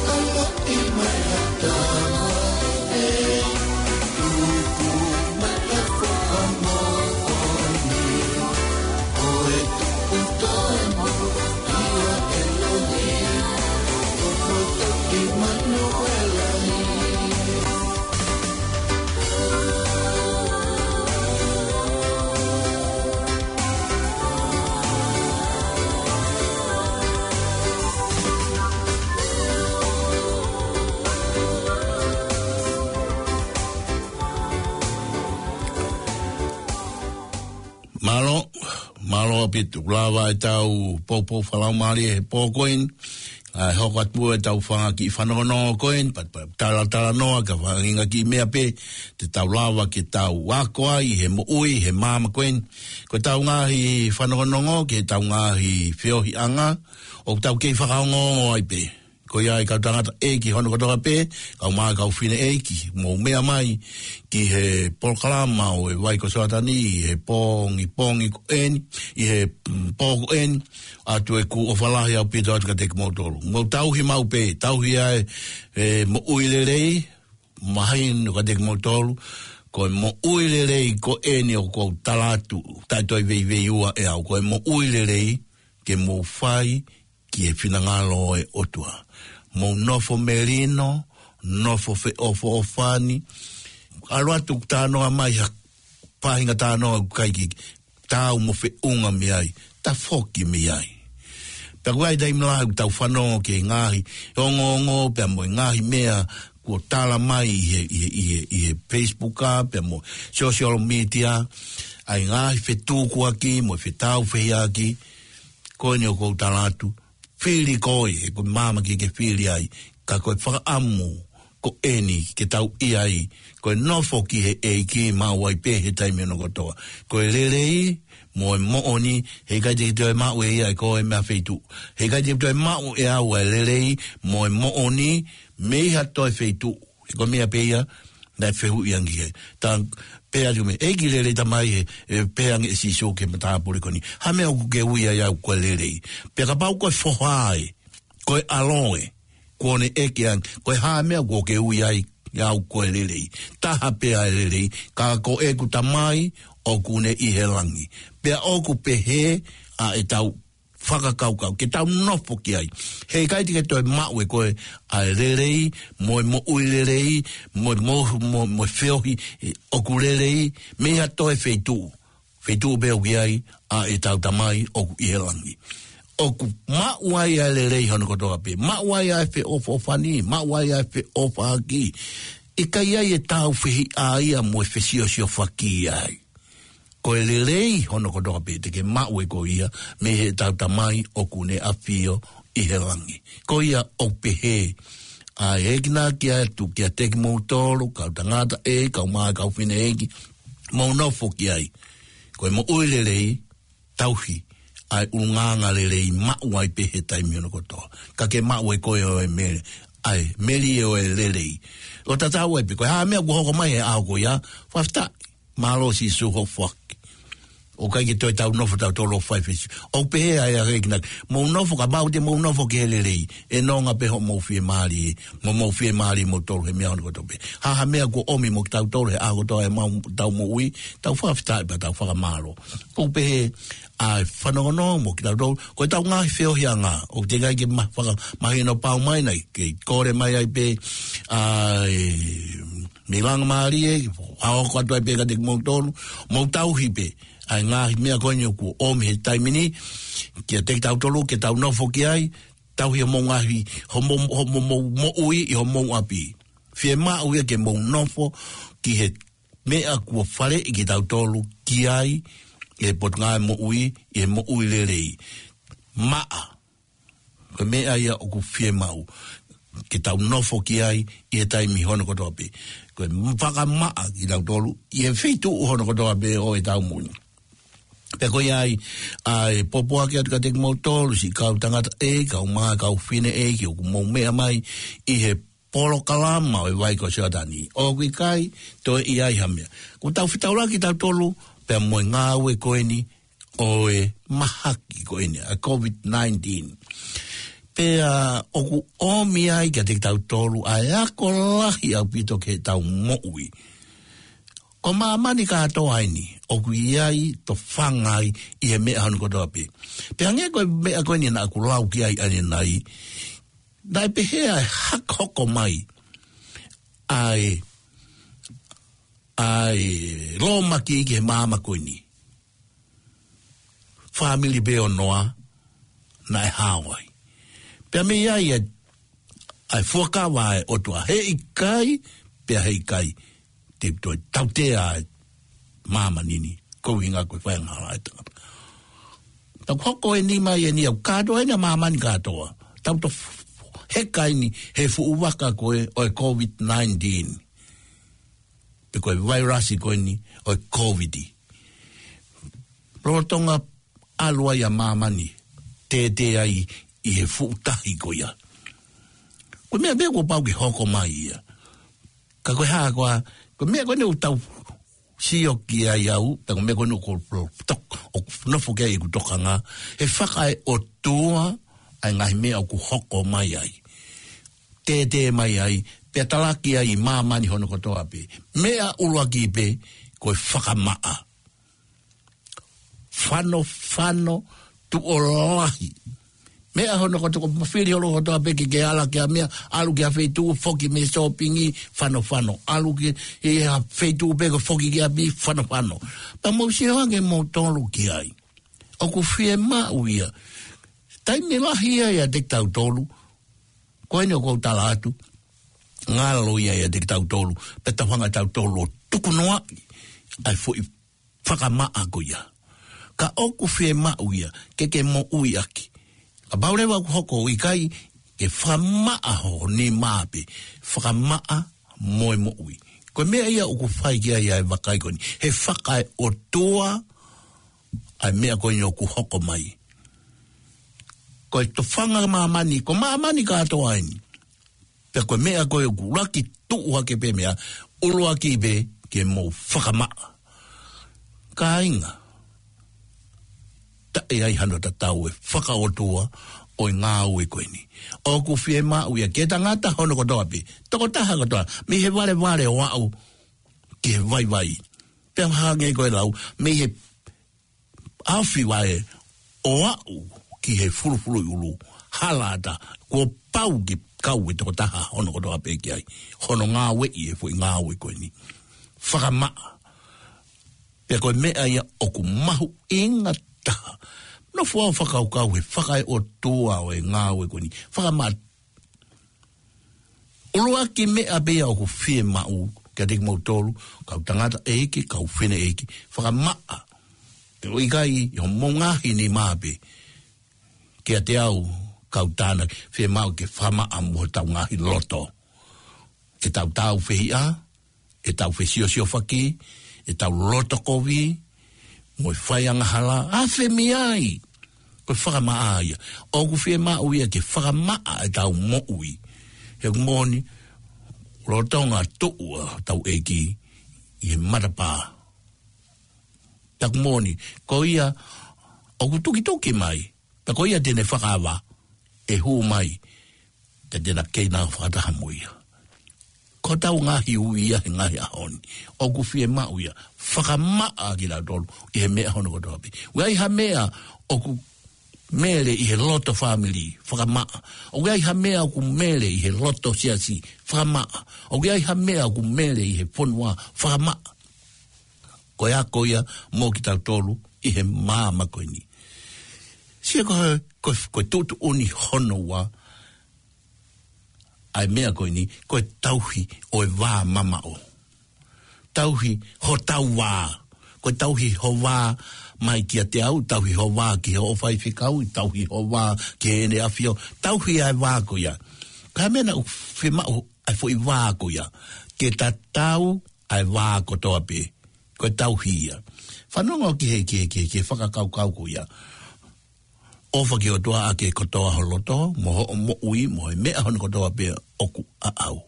ʻaloʻi mai ha Tamai, tuku mai ha foha moʻoni, ʻo e tupu tonu ʻia ʻElohim, ʻo e poto ʻImanuela. Mālō, mālō ʻaupito, lava ʻetau poupou fakalaumālie he pō ko eni, ʻa e hoko atu ʻetau fanga kiʻi fanongonongo ko eni, pea, pea talatalanoa ka faʻahinga kiʻi meʻa pē te tau lava ke tau ako ai he moʻui he māmani ko eni. Ko ʻetau ngaahi fanongonongo, ko ʻetau ngaahi feohiʻanga, ʻoku tau kei fakaongoongo ai pē. Ko ia ʻa e kau tangataʻeiki hono kotoa pē, kae ʻumaʻā e kau fineʻeiki, mou meʻa mai ki he polokalama ʻo e Vai ko Soatani, he pongipongi ko eni, ʻi he, mm, pō ko eni, ʻoatu ʻeku ʻofa lahi ʻaupito atu kiate kimoutolu. Mou tauhi maʻu pē, tauhi ʻa e, e moʻui lelei, mahino kiate kimoutolu, ko e moʻui lelei ko eni ʻoku ou tala atu, taʻe toe veiveiua ʻe au, ko e moʻui lelei ke mou fai ki he finangalo ʻo e ʻOtua. Mou nofo melino, nofo feʻofoʻofani, ʻalu atu ʻo talanoa mai ha faʻahinga talanoa ʻoku ʻikai ke taau mo feʻunga mei ai, tafoki mei ai. Pea ʻoku ʻi ai e taimi lahi ʻoku tau fanongo ki he ngaahi ongoongo, pea mo e ngaahi meʻa kuo tala mai ʻi he, ʻi he, ʻi he, ʻi he Facebook ā, pea mo e social media, ʻa e ngaahi fetukuaki, mo e fetāufehiʻaki, ko eni ʻoku ou tala atu, fili koe, he ko e māmani ke ke fili ai, ka ko e fakaʻamu ko eni ke tau ʻi ai, ko e nofo ki he ʻEiki maʻu ai pē he taimi hono kotoa. Ko e lelei mo e moʻoni, heʻikai te ke toe maʻu ʻe ia ʻe koe mei ha feituʻu. Heʻikai te ke toe maʻu ʻe au ʻa e lelei mo e moʻoni mei ha toe feituʻu. He ko e meʻa pē ia, naʻe fehuʻi ange ki ai. Tā pehē atu mei he ʻEiki lelei Tamai he, ʻe pehē ange ʻe Sīsū ki he matāpule ko eni. Hā e meʻa ʻoku ke ui ai au ko e lelei? Pea kapau ko e foha ē, ko e ʻalo ē, kuo ne ʻeke ange, ko e hā e meʻa ʻoku ke ui ai au ko e lelei? Taha pē ʻa e lelei, ka ko ʻeku Tamai ʻoku ne ʻi he langi. Pea ʻoku pehē ʻa ʻetau fakakaukau, ke tau nofo ki ai. Heʻikai te ke toe maʻu ʻe koe ʻa e lelei, mo e moʻui lelei, mo, mo, mo, mo e feohi, ē, ʻoku lelei, mei ha toe feituʻu. Feituʻu pē ʻoku ʻi ai ʻa ʻetau Tamai ʻoku ʻi he langi. ʻOku maʻu ai ʻa e lelei hono kotoa pē. Maʻu ai ʻa e feʻofoʻofani, maʻu ai ʻa e feʻofaʻaki. ʻIkai ai e tāufehiʻa ia mo e fesiosiofaki ai. Ko e lelei hono kotoa pē te ke maʻu ʻe koe ia mei heʻetau Tamai ʻoku ne ʻafio ʻi he langi. Ko ia ʻoku pehē, ʻa e ʻEiki naʻa ke ʻatu kiate kimoutolu, kau tangataʻeiki, kae ʻumaʻā e kau fineʻeiki, mou nofo ki ai. Ko e moʻui lelei, tauhi ʻa e ʻulungaanga lelei maʻu ai pē he taimi hono kotoa. Ka ke maʻu ʻe koe ʻa e meli, ʻa e meli ʻo e lelei. ʻO tatau ai pē, ko e hā e meʻa kuo hoko mai he ʻaho ko ia, fakafetaʻi. Mālō Sīsū hoʻo foaki. ʻOku ʻikai ke toe tau nofo tautolu ʻo fai fesi. ʻOku pehē ai ʻa e kinautolu. Mou nofo ka mau te mou nofo ki he lelei. ʻE nonga pē hoʻomou fiemālie. Mo mou fiemālie moutolu he meʻa hono kotoa pē. Ha ha meʻa kuo ʻomi mo kitautolu he ʻaho kotoa ʻemau tau moʻui. Tau fakafetaʻi pea tau fakamālō. ʻOku pehē ʻa e fanongonongo mo kitautolu. Ko ʻetau ngaahi feohiʻanga. ʻOku teʻeki ai ke ma-, fakamahino pau mai nai. Ke kole mai ai pē ʻa e mei langamālie, ʻa ʻoku atu ai pē kiate kimoutolu, mou tauhi pē ʻa e ngaahi meʻa ko eni ʻoku ʻomi he taimi ni, kiate kitautolu, ke tau nofo ki ai, tauhi homou ngaahi, homou, homou, homou moʻui ʻi homou ʻapi. Fiemaʻu ia ke mou nofo ki he meʻa kuo faleʻi kitautolu ki ai, ʻi he Potungāue Moʻui, ʻi he moʻui lelei. Maʻa. Ko e meʻa ia ʻoku fiemaʻu ke tau nofo ki ai ʻi he taimi hono kotoa pē. Ko e fakamaʻa kitautolu ʻi he feituʻu hono kotoa pē ʻo ʻetau moʻui. Pea ko ia ai ʻa e pōpoaki atu kiate kimoutolu, siʻi kau tangataʻeiki, kau mā, kau fineʻeiki, ʻoku mou meʻa mai ʻi he polokalama ʻo e Vai ko Sioatani. ʻOku ʻikai toe ʻi ai ha meʻa. Ko ʻetau fetaulaki kitautolu pea mo e ngāue ko eni ʻo e mahaki ko eni, ʻa e COVID nineteen. Pea ʻoku ʻomi ai kiate kitautolu ʻa e ako lahi ʻaupito ki heʻetau moʻui. Ko māmani kātoa eni, ʻoku ʻi ai tofanga ai ʻi he meʻa hono kotoa pē. Pea hangē ko e meʻa ko eni naʻa ku lau ki ai ʻanenai, naʻe pehē ʻa e hak-, hoko mai ʻa e, ʻa e lōmaki ki he māmani ko eni. Fāmili pē ʻo Noa naʻe hao ai. Pea mei ai ʻa e, ʻa e fuakava ʻa e ʻOtua, heʻikai, pea heʻikai te toe tautea ʻa e māmani ni, ko e ʻuhinga ko e faiangahala ʻa e tangata. Tau hoko eni mai eni ʻoku kātoa eni ʻa māmani kātoa. Tau to f-, f-, heka eni he fuʻu vaka ko ē ʻo e COVID nineteen. Pe ko e vailasi ko eni ʻo e COVID. Lolotonga ʻalu ai ʻa māmani, tētē ai ʻi he fuʻu tahi ko ia. Ko e meʻa pē kuo pau ke hoko mai ia. Ka ko e hā koā, ko e meʻa ko eni ʻoku tau sio ki ai au, pea ko e meʻa ko eni ʻoku lo-, tok-, ʻoku nofo ki ai ʻeku tokanga, he fakaeʻotua ʻa e ngaahi meʻa ʻoku hoko mai ai. Tētē mai ai, pea talaki ai ʻi māmani hono kotoa pē. Meʻa ʻuluaki pē, ko e fakamaʻa. Fanofano tuʻo lahi. Meʻa hono kotoa, ko e mafili hono kotoa pē ke ke ala ki ha meʻa, ʻalu ki ha feituʻu, foki mei he sōpingi, fanofano. ʻAlu ki he feituʻu pē ko e foki ki ʻapi, fanofano. Pea mou sio ange moutolu ki ai. ʻOku fiemaʻu ia. Taimi lahi ia ʻiate kitautolu. Ko eni ʻoku ou tala atu. Ngalo ia ʻiate kitautolu. Pea tau hanga tautolu ʻo tukunoaʻi ʻa e foʻi fakamaʻa ko ia. Ka ʻoku fiemaʻu ia, ke ke moʻui ʻaki. Kapau leva ʻoku hoko ʻikai, ke fakamaʻa ho nima pē, fakamaʻa mo e moʻui. Ko e meʻa ia ʻoku fai ki ai ʻa e vakai ko eni. He fakaeʻotua, ʻa e meʻa ko eni ʻoku hoko mai. Ko e tofanga māmani, ko māmani kātoa eni. Pea ko e meʻa ko ē ʻoku ʻuluaki tuʻu hake pē meʻa, ʻuluaki pē ke mou fakamaʻa. Kāinga, taʻe ai hano tatau e fakaʻotua ʻo e ngāue ko eni. ʻOku fiemaʻu ia ke tangata hono kotoa pē. Tokotaha kotoa, mei he valevale ʻo aʻu ki he vaivai. Pea hangē ko e lau, mei he ʻaofi vaʻe ʻo aʻu ki he fulufuluʻi ʻulu, hala ʻatā, kuo pau ke kau e tokotaha hono kotoa pē ki ai. Hono ngāueʻi e foʻi ngāue ko eni. Fakamaʻa. Pea ko e meʻa ia ʻoku mahuʻinga taha. Nofo ʻo fakakaukau he fakaeʻotua ʻo e ngāue ko eni. Fakamaʻa. ʻUluaki meʻa pē ia ʻoku fiemaʻu kiate kimoutolu, kau tangataʻeiki, kau fineʻeiki, fakamaʻa. Pea ʻoku ʻikai ʻi homou ngaahi nima pē. Kiate au, kau tānaki, fiemaʻu ke fakamaʻa mo hotau ngaahi loto. ʻEtau tāufehiʻa, ʻetau fesiosiofaki, ʻetau loto kovi, mo e faiangahala, ʻa fē meʻa ia. Ko e fakamaʻa ia. ʻOku fiemaʻu ia ke fakamaʻa ʻetau moʻui. He ʻoku moʻoni, lolotonga tuʻu ʻa hotau ʻEiki ʻi he matapā. Pea ʻoku moʻoni, ko ia ʻoku tukituki mai, pea ko ia te ne fakaava, ʻe hū mai, pea te na kei na fakataha mo ia. Ko ʻetau ngaahi ui ia he ngaahi ʻaho ni, ʻoku fiemaʻu ia, fakamaʻa kitautolu ʻi he meʻa hono kotoa pē. ʻOku ʻi ai ha meʻa ʻoku mele ʻi he loto fāmili, fakamaʻa. ʻOku ʻi ai ha meʻa ʻoku mele ʻi he loto siasi, fakamaʻa. ʻOku ʻi ai ha meʻa ʻoku mele ʻi he fonua, fakamaʻa. Ko e ako ia mo kitautolu ʻi he māmani ko eni. Sio ko e, ko e, ko e tuʻutuʻuni hono ua ʻa e meʻa ko eni, ko e tauhi ʻo e vā mamaʻo. Tauhi hotau vā. Ko e tauhi ho vā mai kiate au, tauhi ho vā ki hoʻo faifekau, tauhi ho vā ki heʻene ʻafio, tauhi ʻa e vā ko ia. Ka meʻa naʻa ʻoku fiemaʻu ʻa e foʻi vā ko ia, ke tatau ʻa e vā kotoa pē. Ko e tauhi ia. Fanongo ki he, ki he, ki he, ki he fakakaukau ko ia. ʻOfa ki he ʻOtua ʻaki e kotoa ho loto, mo hoʻo moʻui, mo e meʻa hono kotoa pē ʻoku ʻaʻau.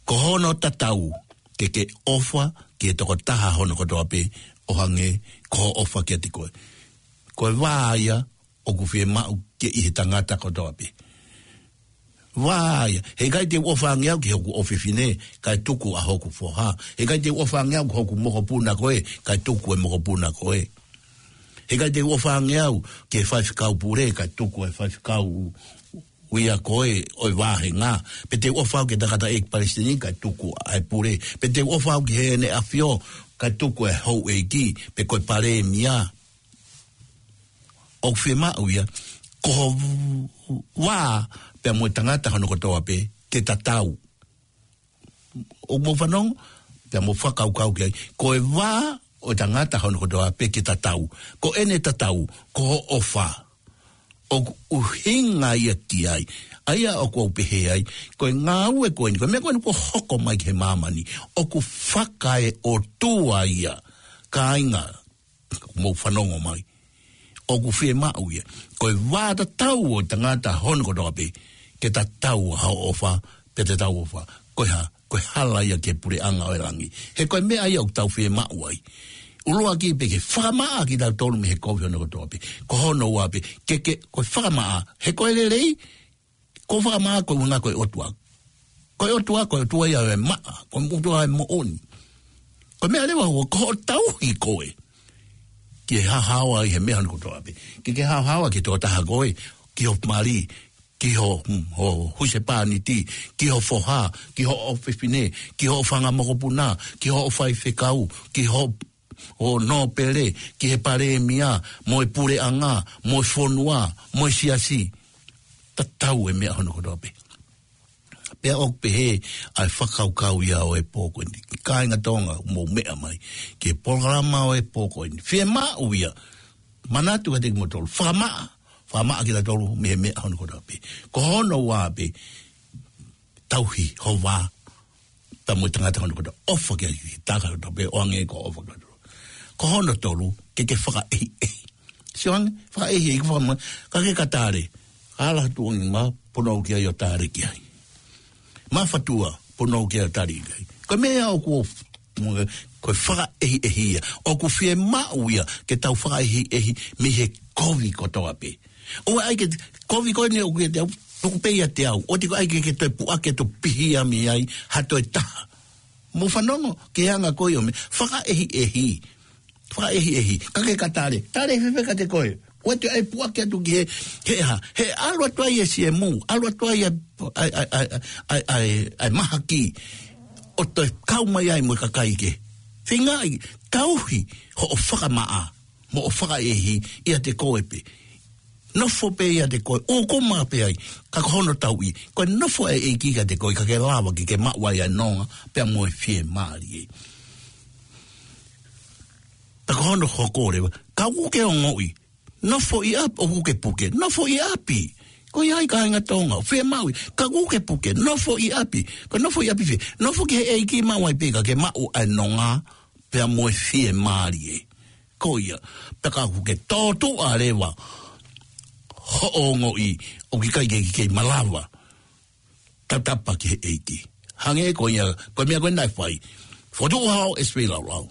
Ko hono tatau, ke ke ʻofa ki he tokotaha hono kotoa pē, ʻo hangē ko hoʻo ʻofa kiate koe. Ko e vā ia ʻoku fiemaʻu ke ʻi he tangata kotoa pē. Vā ia, heʻikai te u ʻofa ange au ki hoku ʻofefine, kae tuku ʻa hoku foha. Heʻikai te u ʻofa ange au ki hoku mokopuna ko ē, kae tuku e mokopuna ko ē. Heʻikai te u ʻofa ange au ki he faifekau pule, kae tuku e faifekau ia ko ē ʻo e vāhenga. Pe te u ʻofa au ki he tangataʻeiki palesiteni, kae tuku ʻa e pule. Pe te u ʻofa au ki heʻene ʻafio, kae tuku e houʻeiki, pe ko e palēmia. ʻOku fiemaʻu ia, ko ho vā pea mo e tangata hono kotoa pē, ke tatau. ʻOku mou fanongo, pea mou fakakaukau ki ai. Ko e vā ʻo e tangata hono kotoa pē ke tatau. Ko ʻene tatau, ko hoʻo ʻofa. ʻOku ʻuhinga ia ki ai. ʻA ia ʻoku ou pehē ai, ko e ngāue ko eni, ko e meʻa ko eni kuo hoko mai ki he māmani, ʻoku fakaeʻotua ia. Kāinga, mou fanongo mai. ʻOku fiemaʻu ia, ko e vā tatau ʻo e tangata hono kotoa pē, ke tatau ʻa hoʻo ʻofa, pea tatau ʻofa. Ko e hā, ko e hala ia ki he puleʻanga ʻo e langi. He ko e meʻa ia ʻoku tau fiemaʻu ai. ʻUluaki pē ke fakamaʻa kitautolu mei he kovi hono kotoa pē. Ko hono ua pē, ke, ke, ko e fakamaʻa, he ko e lelei, ko e fakamaʻa ko e ʻuhinga ko e ʻOtua. Ko e ʻOtua, ko e ʻOtua ia ʻo e maʻa, ko e ʻOtua ʻo e moʻoni. Ko e meʻa leva ʻoku, ko hoʻo tauhi koe. Ke haohaoa ʻi he meʻa hono kotoa pē. Ke, ke haohaoa ki he tokotaha ko ē, ki ho mali, ki ho, ho husepāniti, ki ho foha, ki hoʻo ʻofefine, ki hoʻo fanga mokopuna, ki hoʻo faifekau, ki ho ʻo nōpele, ki he palēmia, mo e puleʻanga, mo e fonua, mo e siasi. Tatau e meʻa hono kotoa pē. Pea ʻoku pehē ʻa e fakakaukau ia ʻo e pō ko eni. Kāinga Tonga, mou meʻa mai ki he polokalama ʻo e pō ko eni. Fiemaʻu ia, manatu kiate kimoutolu, fakamaʻa, fakamaʻa kitautolu mei he meʻa hono kotoa pē. Ko hono ua pē, tauhi ho vā pea mo e tangata hono kotoa, ʻofa ki ai, tangata kotoa pē, ʻo hangē ko hoʻo ʻofa ki ai. Ko hono tolu, ke ke fakaʻehiʻehi. Sio ange, fakaʻehiʻehi, ko e fakamoʻoni, ka ke ka tale, ka ala tuʻunga mā, punou ki ai ʻo tale ki ai. Mā fatua, punou ki ai ʻo tale ki ai. Ko e meʻa ʻoku, ko e fakaʻehiʻehi ia, ʻoku fiemaʻu ia, ke tau fakaʻehiʻehi mei he kovi kotoa pē. ʻOua ʻai ke, kovi ko eni ʻoku ʻiate au, tuku pē ʻiate au. ʻOua te ke ʻai ke, ke toe puʻaki atu pihia mei ai ha toe taha. Mou fanongo ki he anga ko ia ʻo e meʻa, fakaʻehiʻehi. Fakaʻehiʻehi. Ka ke ka tale, tale fēfē kiate koe? ʻOua te ʻai puʻaki atu ki he, he hā, he ʻalu atu ai e siemu, ʻalu atu ai e, ʻai, ʻai, ʻai mahaki. ʻO toe kau mai ai mo e kakai kehe. Feinga ai, tauhi hoʻo fakamaʻa mo hoʻo fakaʻehiʻehi ʻiate koe pē. Nofo pē ʻiate koe, ʻūkuma pē ai, ka ko hono tauʻi, ko e nofo e ʻEiki kiate koe, ka ke lava ke ke maʻu ai ʻa e nonga, pea mo e fiemālie. Pea ko hono hoko leva, kapau ʻoku ke ongoʻi, nofo ʻi ʻapi, ʻoku ke puke, nofo ʻi ʻapi. Ko ia ai kāinga Tonga, fiemaʻu, kapau ʻoku ke puke, nofo ʻi ʻapi, ko e nofo ʻi ʻapi fē, nofo ki he ʻEiki maʻu ai pē ka ke maʻu ʻa e nonga, pea mo e fiemālie. Ko ia, pea kapau ʻoku ke tōtuʻa leva hoʻo ongoʻi, ʻoku ʻikai ke ke kei malava, tatapa ki he ʻEiki. Hangē ko ia, ko e meʻa ko ē naʻe fai. Fokotuʻu hao ʻEsipeli Laulau.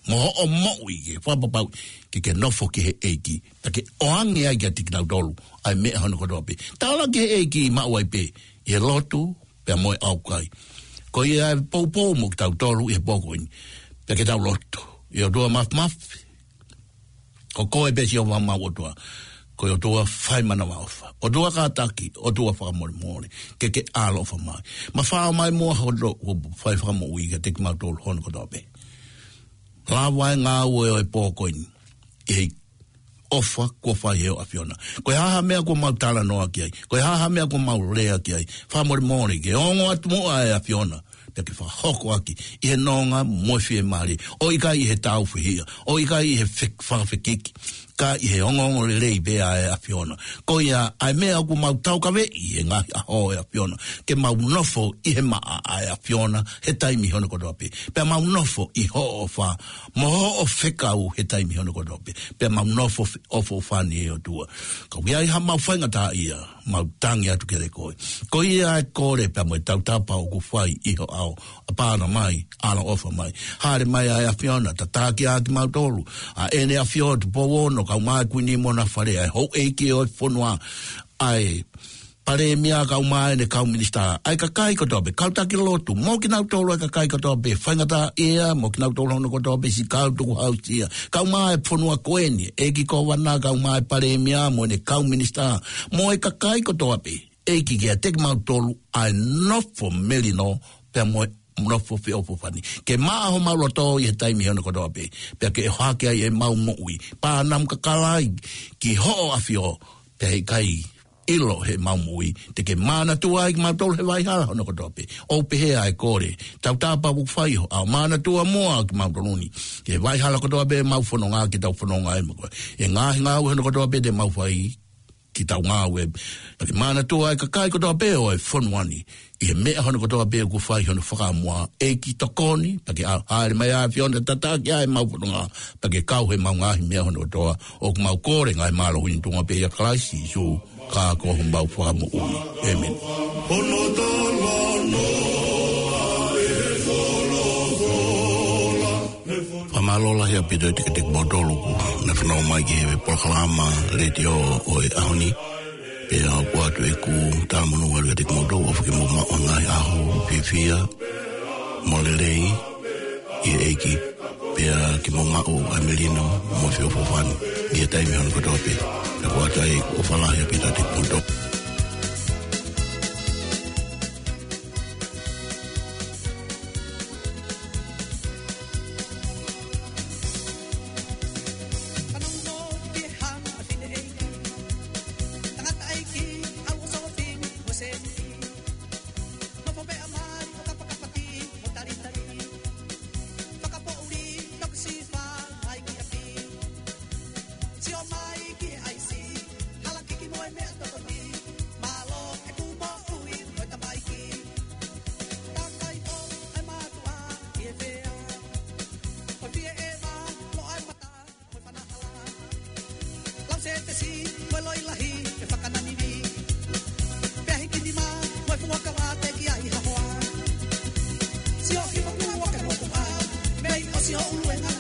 mo hoʻo moʻui ke fakapapauʻi ke ke nofo ki he ʻEiki, pea ke ʻoange ai kiate kinautolu ʻa e meʻa hono kotoa pē. Tala ki he ʻEiki, maʻu ai pē ʻi he lotu pea mo e ʻaukai. Ko ia ʻe poupou mo kitautolu ʻi he pō ko eni, pea ke tau lotu. ʻE ʻOtua Māfimafi, ko koe pē Sihova homau ʻOtua. Ko e ʻOtua fai manavaʻofa, ʻOtua kātaki, ʻOtua fakamolemole. Ke ke ʻaloʻofa mai. Mafao mai muʻa hoʻo lotu ʻo fai fakamoʻui kiate kimautolu hono kotoa pē. Lava e ngāue ʻo e pō ko eni ʻi he ʻofa kuo fai ʻe ho ʻAfiona. Ko e hā ha meʻa kuo mau talanoa ki ai, ko e hā ha meʻa kuo mau lea ki ai, fakamolemole ke ongo atu muʻa ʻe ʻAfiona, pea ke fakahoko ʻaki ʻi he nonga mo e fiemālie, ʻo ʻikai ʻi he tāufehiʻa, ʻo ʻikai ʻi he fek-, fakafekiki, ka ʻi he ongoongolelei pē ʻa e ʻAfiona. Ko ia ʻa e meʻa ʻoku mau taukaveʻi he ngaahi ʻaho ʻe ʻAfiona, ke mau nofo ʻi he maʻa ʻa e ʻAfiona he taimi hono kotoa pē. Pea mau nofo ʻi hoʻo ʻofa, mo hoʻo fekau he taimi hono kotoa pē. Pea mau nofo fe-, ʻofoʻofani ʻe ʻOtua. Ka ʻoku ʻi ai ha mau faingataʻaʻia, mau tangi atu kiate koe. Ko ia ʻa e kole pea mo e tautapa ʻoku fai ʻi ho ʻao. ʻApā mai, ʻaloʻofa mai. Hāʻele mai ʻa e ʻAfiona, tataki ʻa kimautolu, ʻa ʻEne ʻAfio Tupou Ono, kau mai Kuini Mona Fale, ʻa e houʻeiki ʻo e fonua, ʻa e Palēmia kau mai ʻene kau minisitā, ʻa e kakai kotoa pē, kau taki lotu, mo kinautolu ʻa e kakai kotoa pē, faingataʻaʻia, mo kinautolu hono kotoa pē, siʻi kau tukuhausia, kau mai e fonua ko eni, ʻEiki Kōvana, kau mai e Palēmia, mo ʻene kau minisitā, mo e kakai kotoa pē, ʻEiki kiate kimautolu ʻa e nofo melino, pea mo e nofo feʻofoʻofani. Ke maʻa homau loto ʻi he taimi hono kotoa pē, pea ke ʻohake ai ʻemau moʻui. Pea namu kakalai ki hoʻo ʻAfio, pea ʻikai ʻilo heʻemau moʻui. Te ke manatua ai kimautolu he vaihala hono kotoa pē. ʻOku pehē ʻa e kole, tautapa ʻoku fai ho ʻao, manatua muʻa kimautolu ni he vaihala kotoa pē ʻemau fononga ke tau fononga ai mo koe. ʻI he ngaahi ngāue hono kotoa pē te mau fai, ke tau ngāue. Pea ke manatua ʻa e kakai kotoa pē ʻo e fonua ni ʻi he meʻa hono kotoa pē ʻoku fai hono fakamuʻa. ʻEiki tokoni, pea ke ʻa-, hāʻele mai ʻa e ʻAfiona, tataki ʻa ʻemau fononga, pea ke kau heʻemau ngaahi meʻa hono kotoa. ʻOku mau kole ngaahi mālohi ni tuʻunga pē ʻia Kalaisi Sīsū, ka ko homau Fakamoʻui. ʻĒmeni. Fakamālō lahi ʻaupito kiate kimoutolu kuo nau fanongo mai ki he polokalama letiō ʻo e ʻaho ni. Pea ʻoatu ʻeku talamonū atu kiate kimoutolu, ʻofa ke mou maʻu ha ngaahi ʻaho fiefia mo lelei ʻi he ʻEiki. Pea ke mou maʻu ʻa e melino mo e feʻofoʻofani ʻi he taimi hono kotoa pē. Pea ʻoatu ai ʻeku ʻofa lahi ʻaupito kiate kimoutolu. Sio mai ki he ʻaisi, hala kiki mo e meʻa tokoni. Mālō ʻeku moʻui mo e tamaiki. Takai ʻo e mātuʻa ʻi he fea. Ko e fie ʻeva, loʻa e mata mo e fana hala. Lau se tesi mo e loi lahi e fakananini. Pea hiki nima mo e fuakava te ki ai ha hoa. Sio ki moku o ke moku a, mei ʻosi o ʻuluenga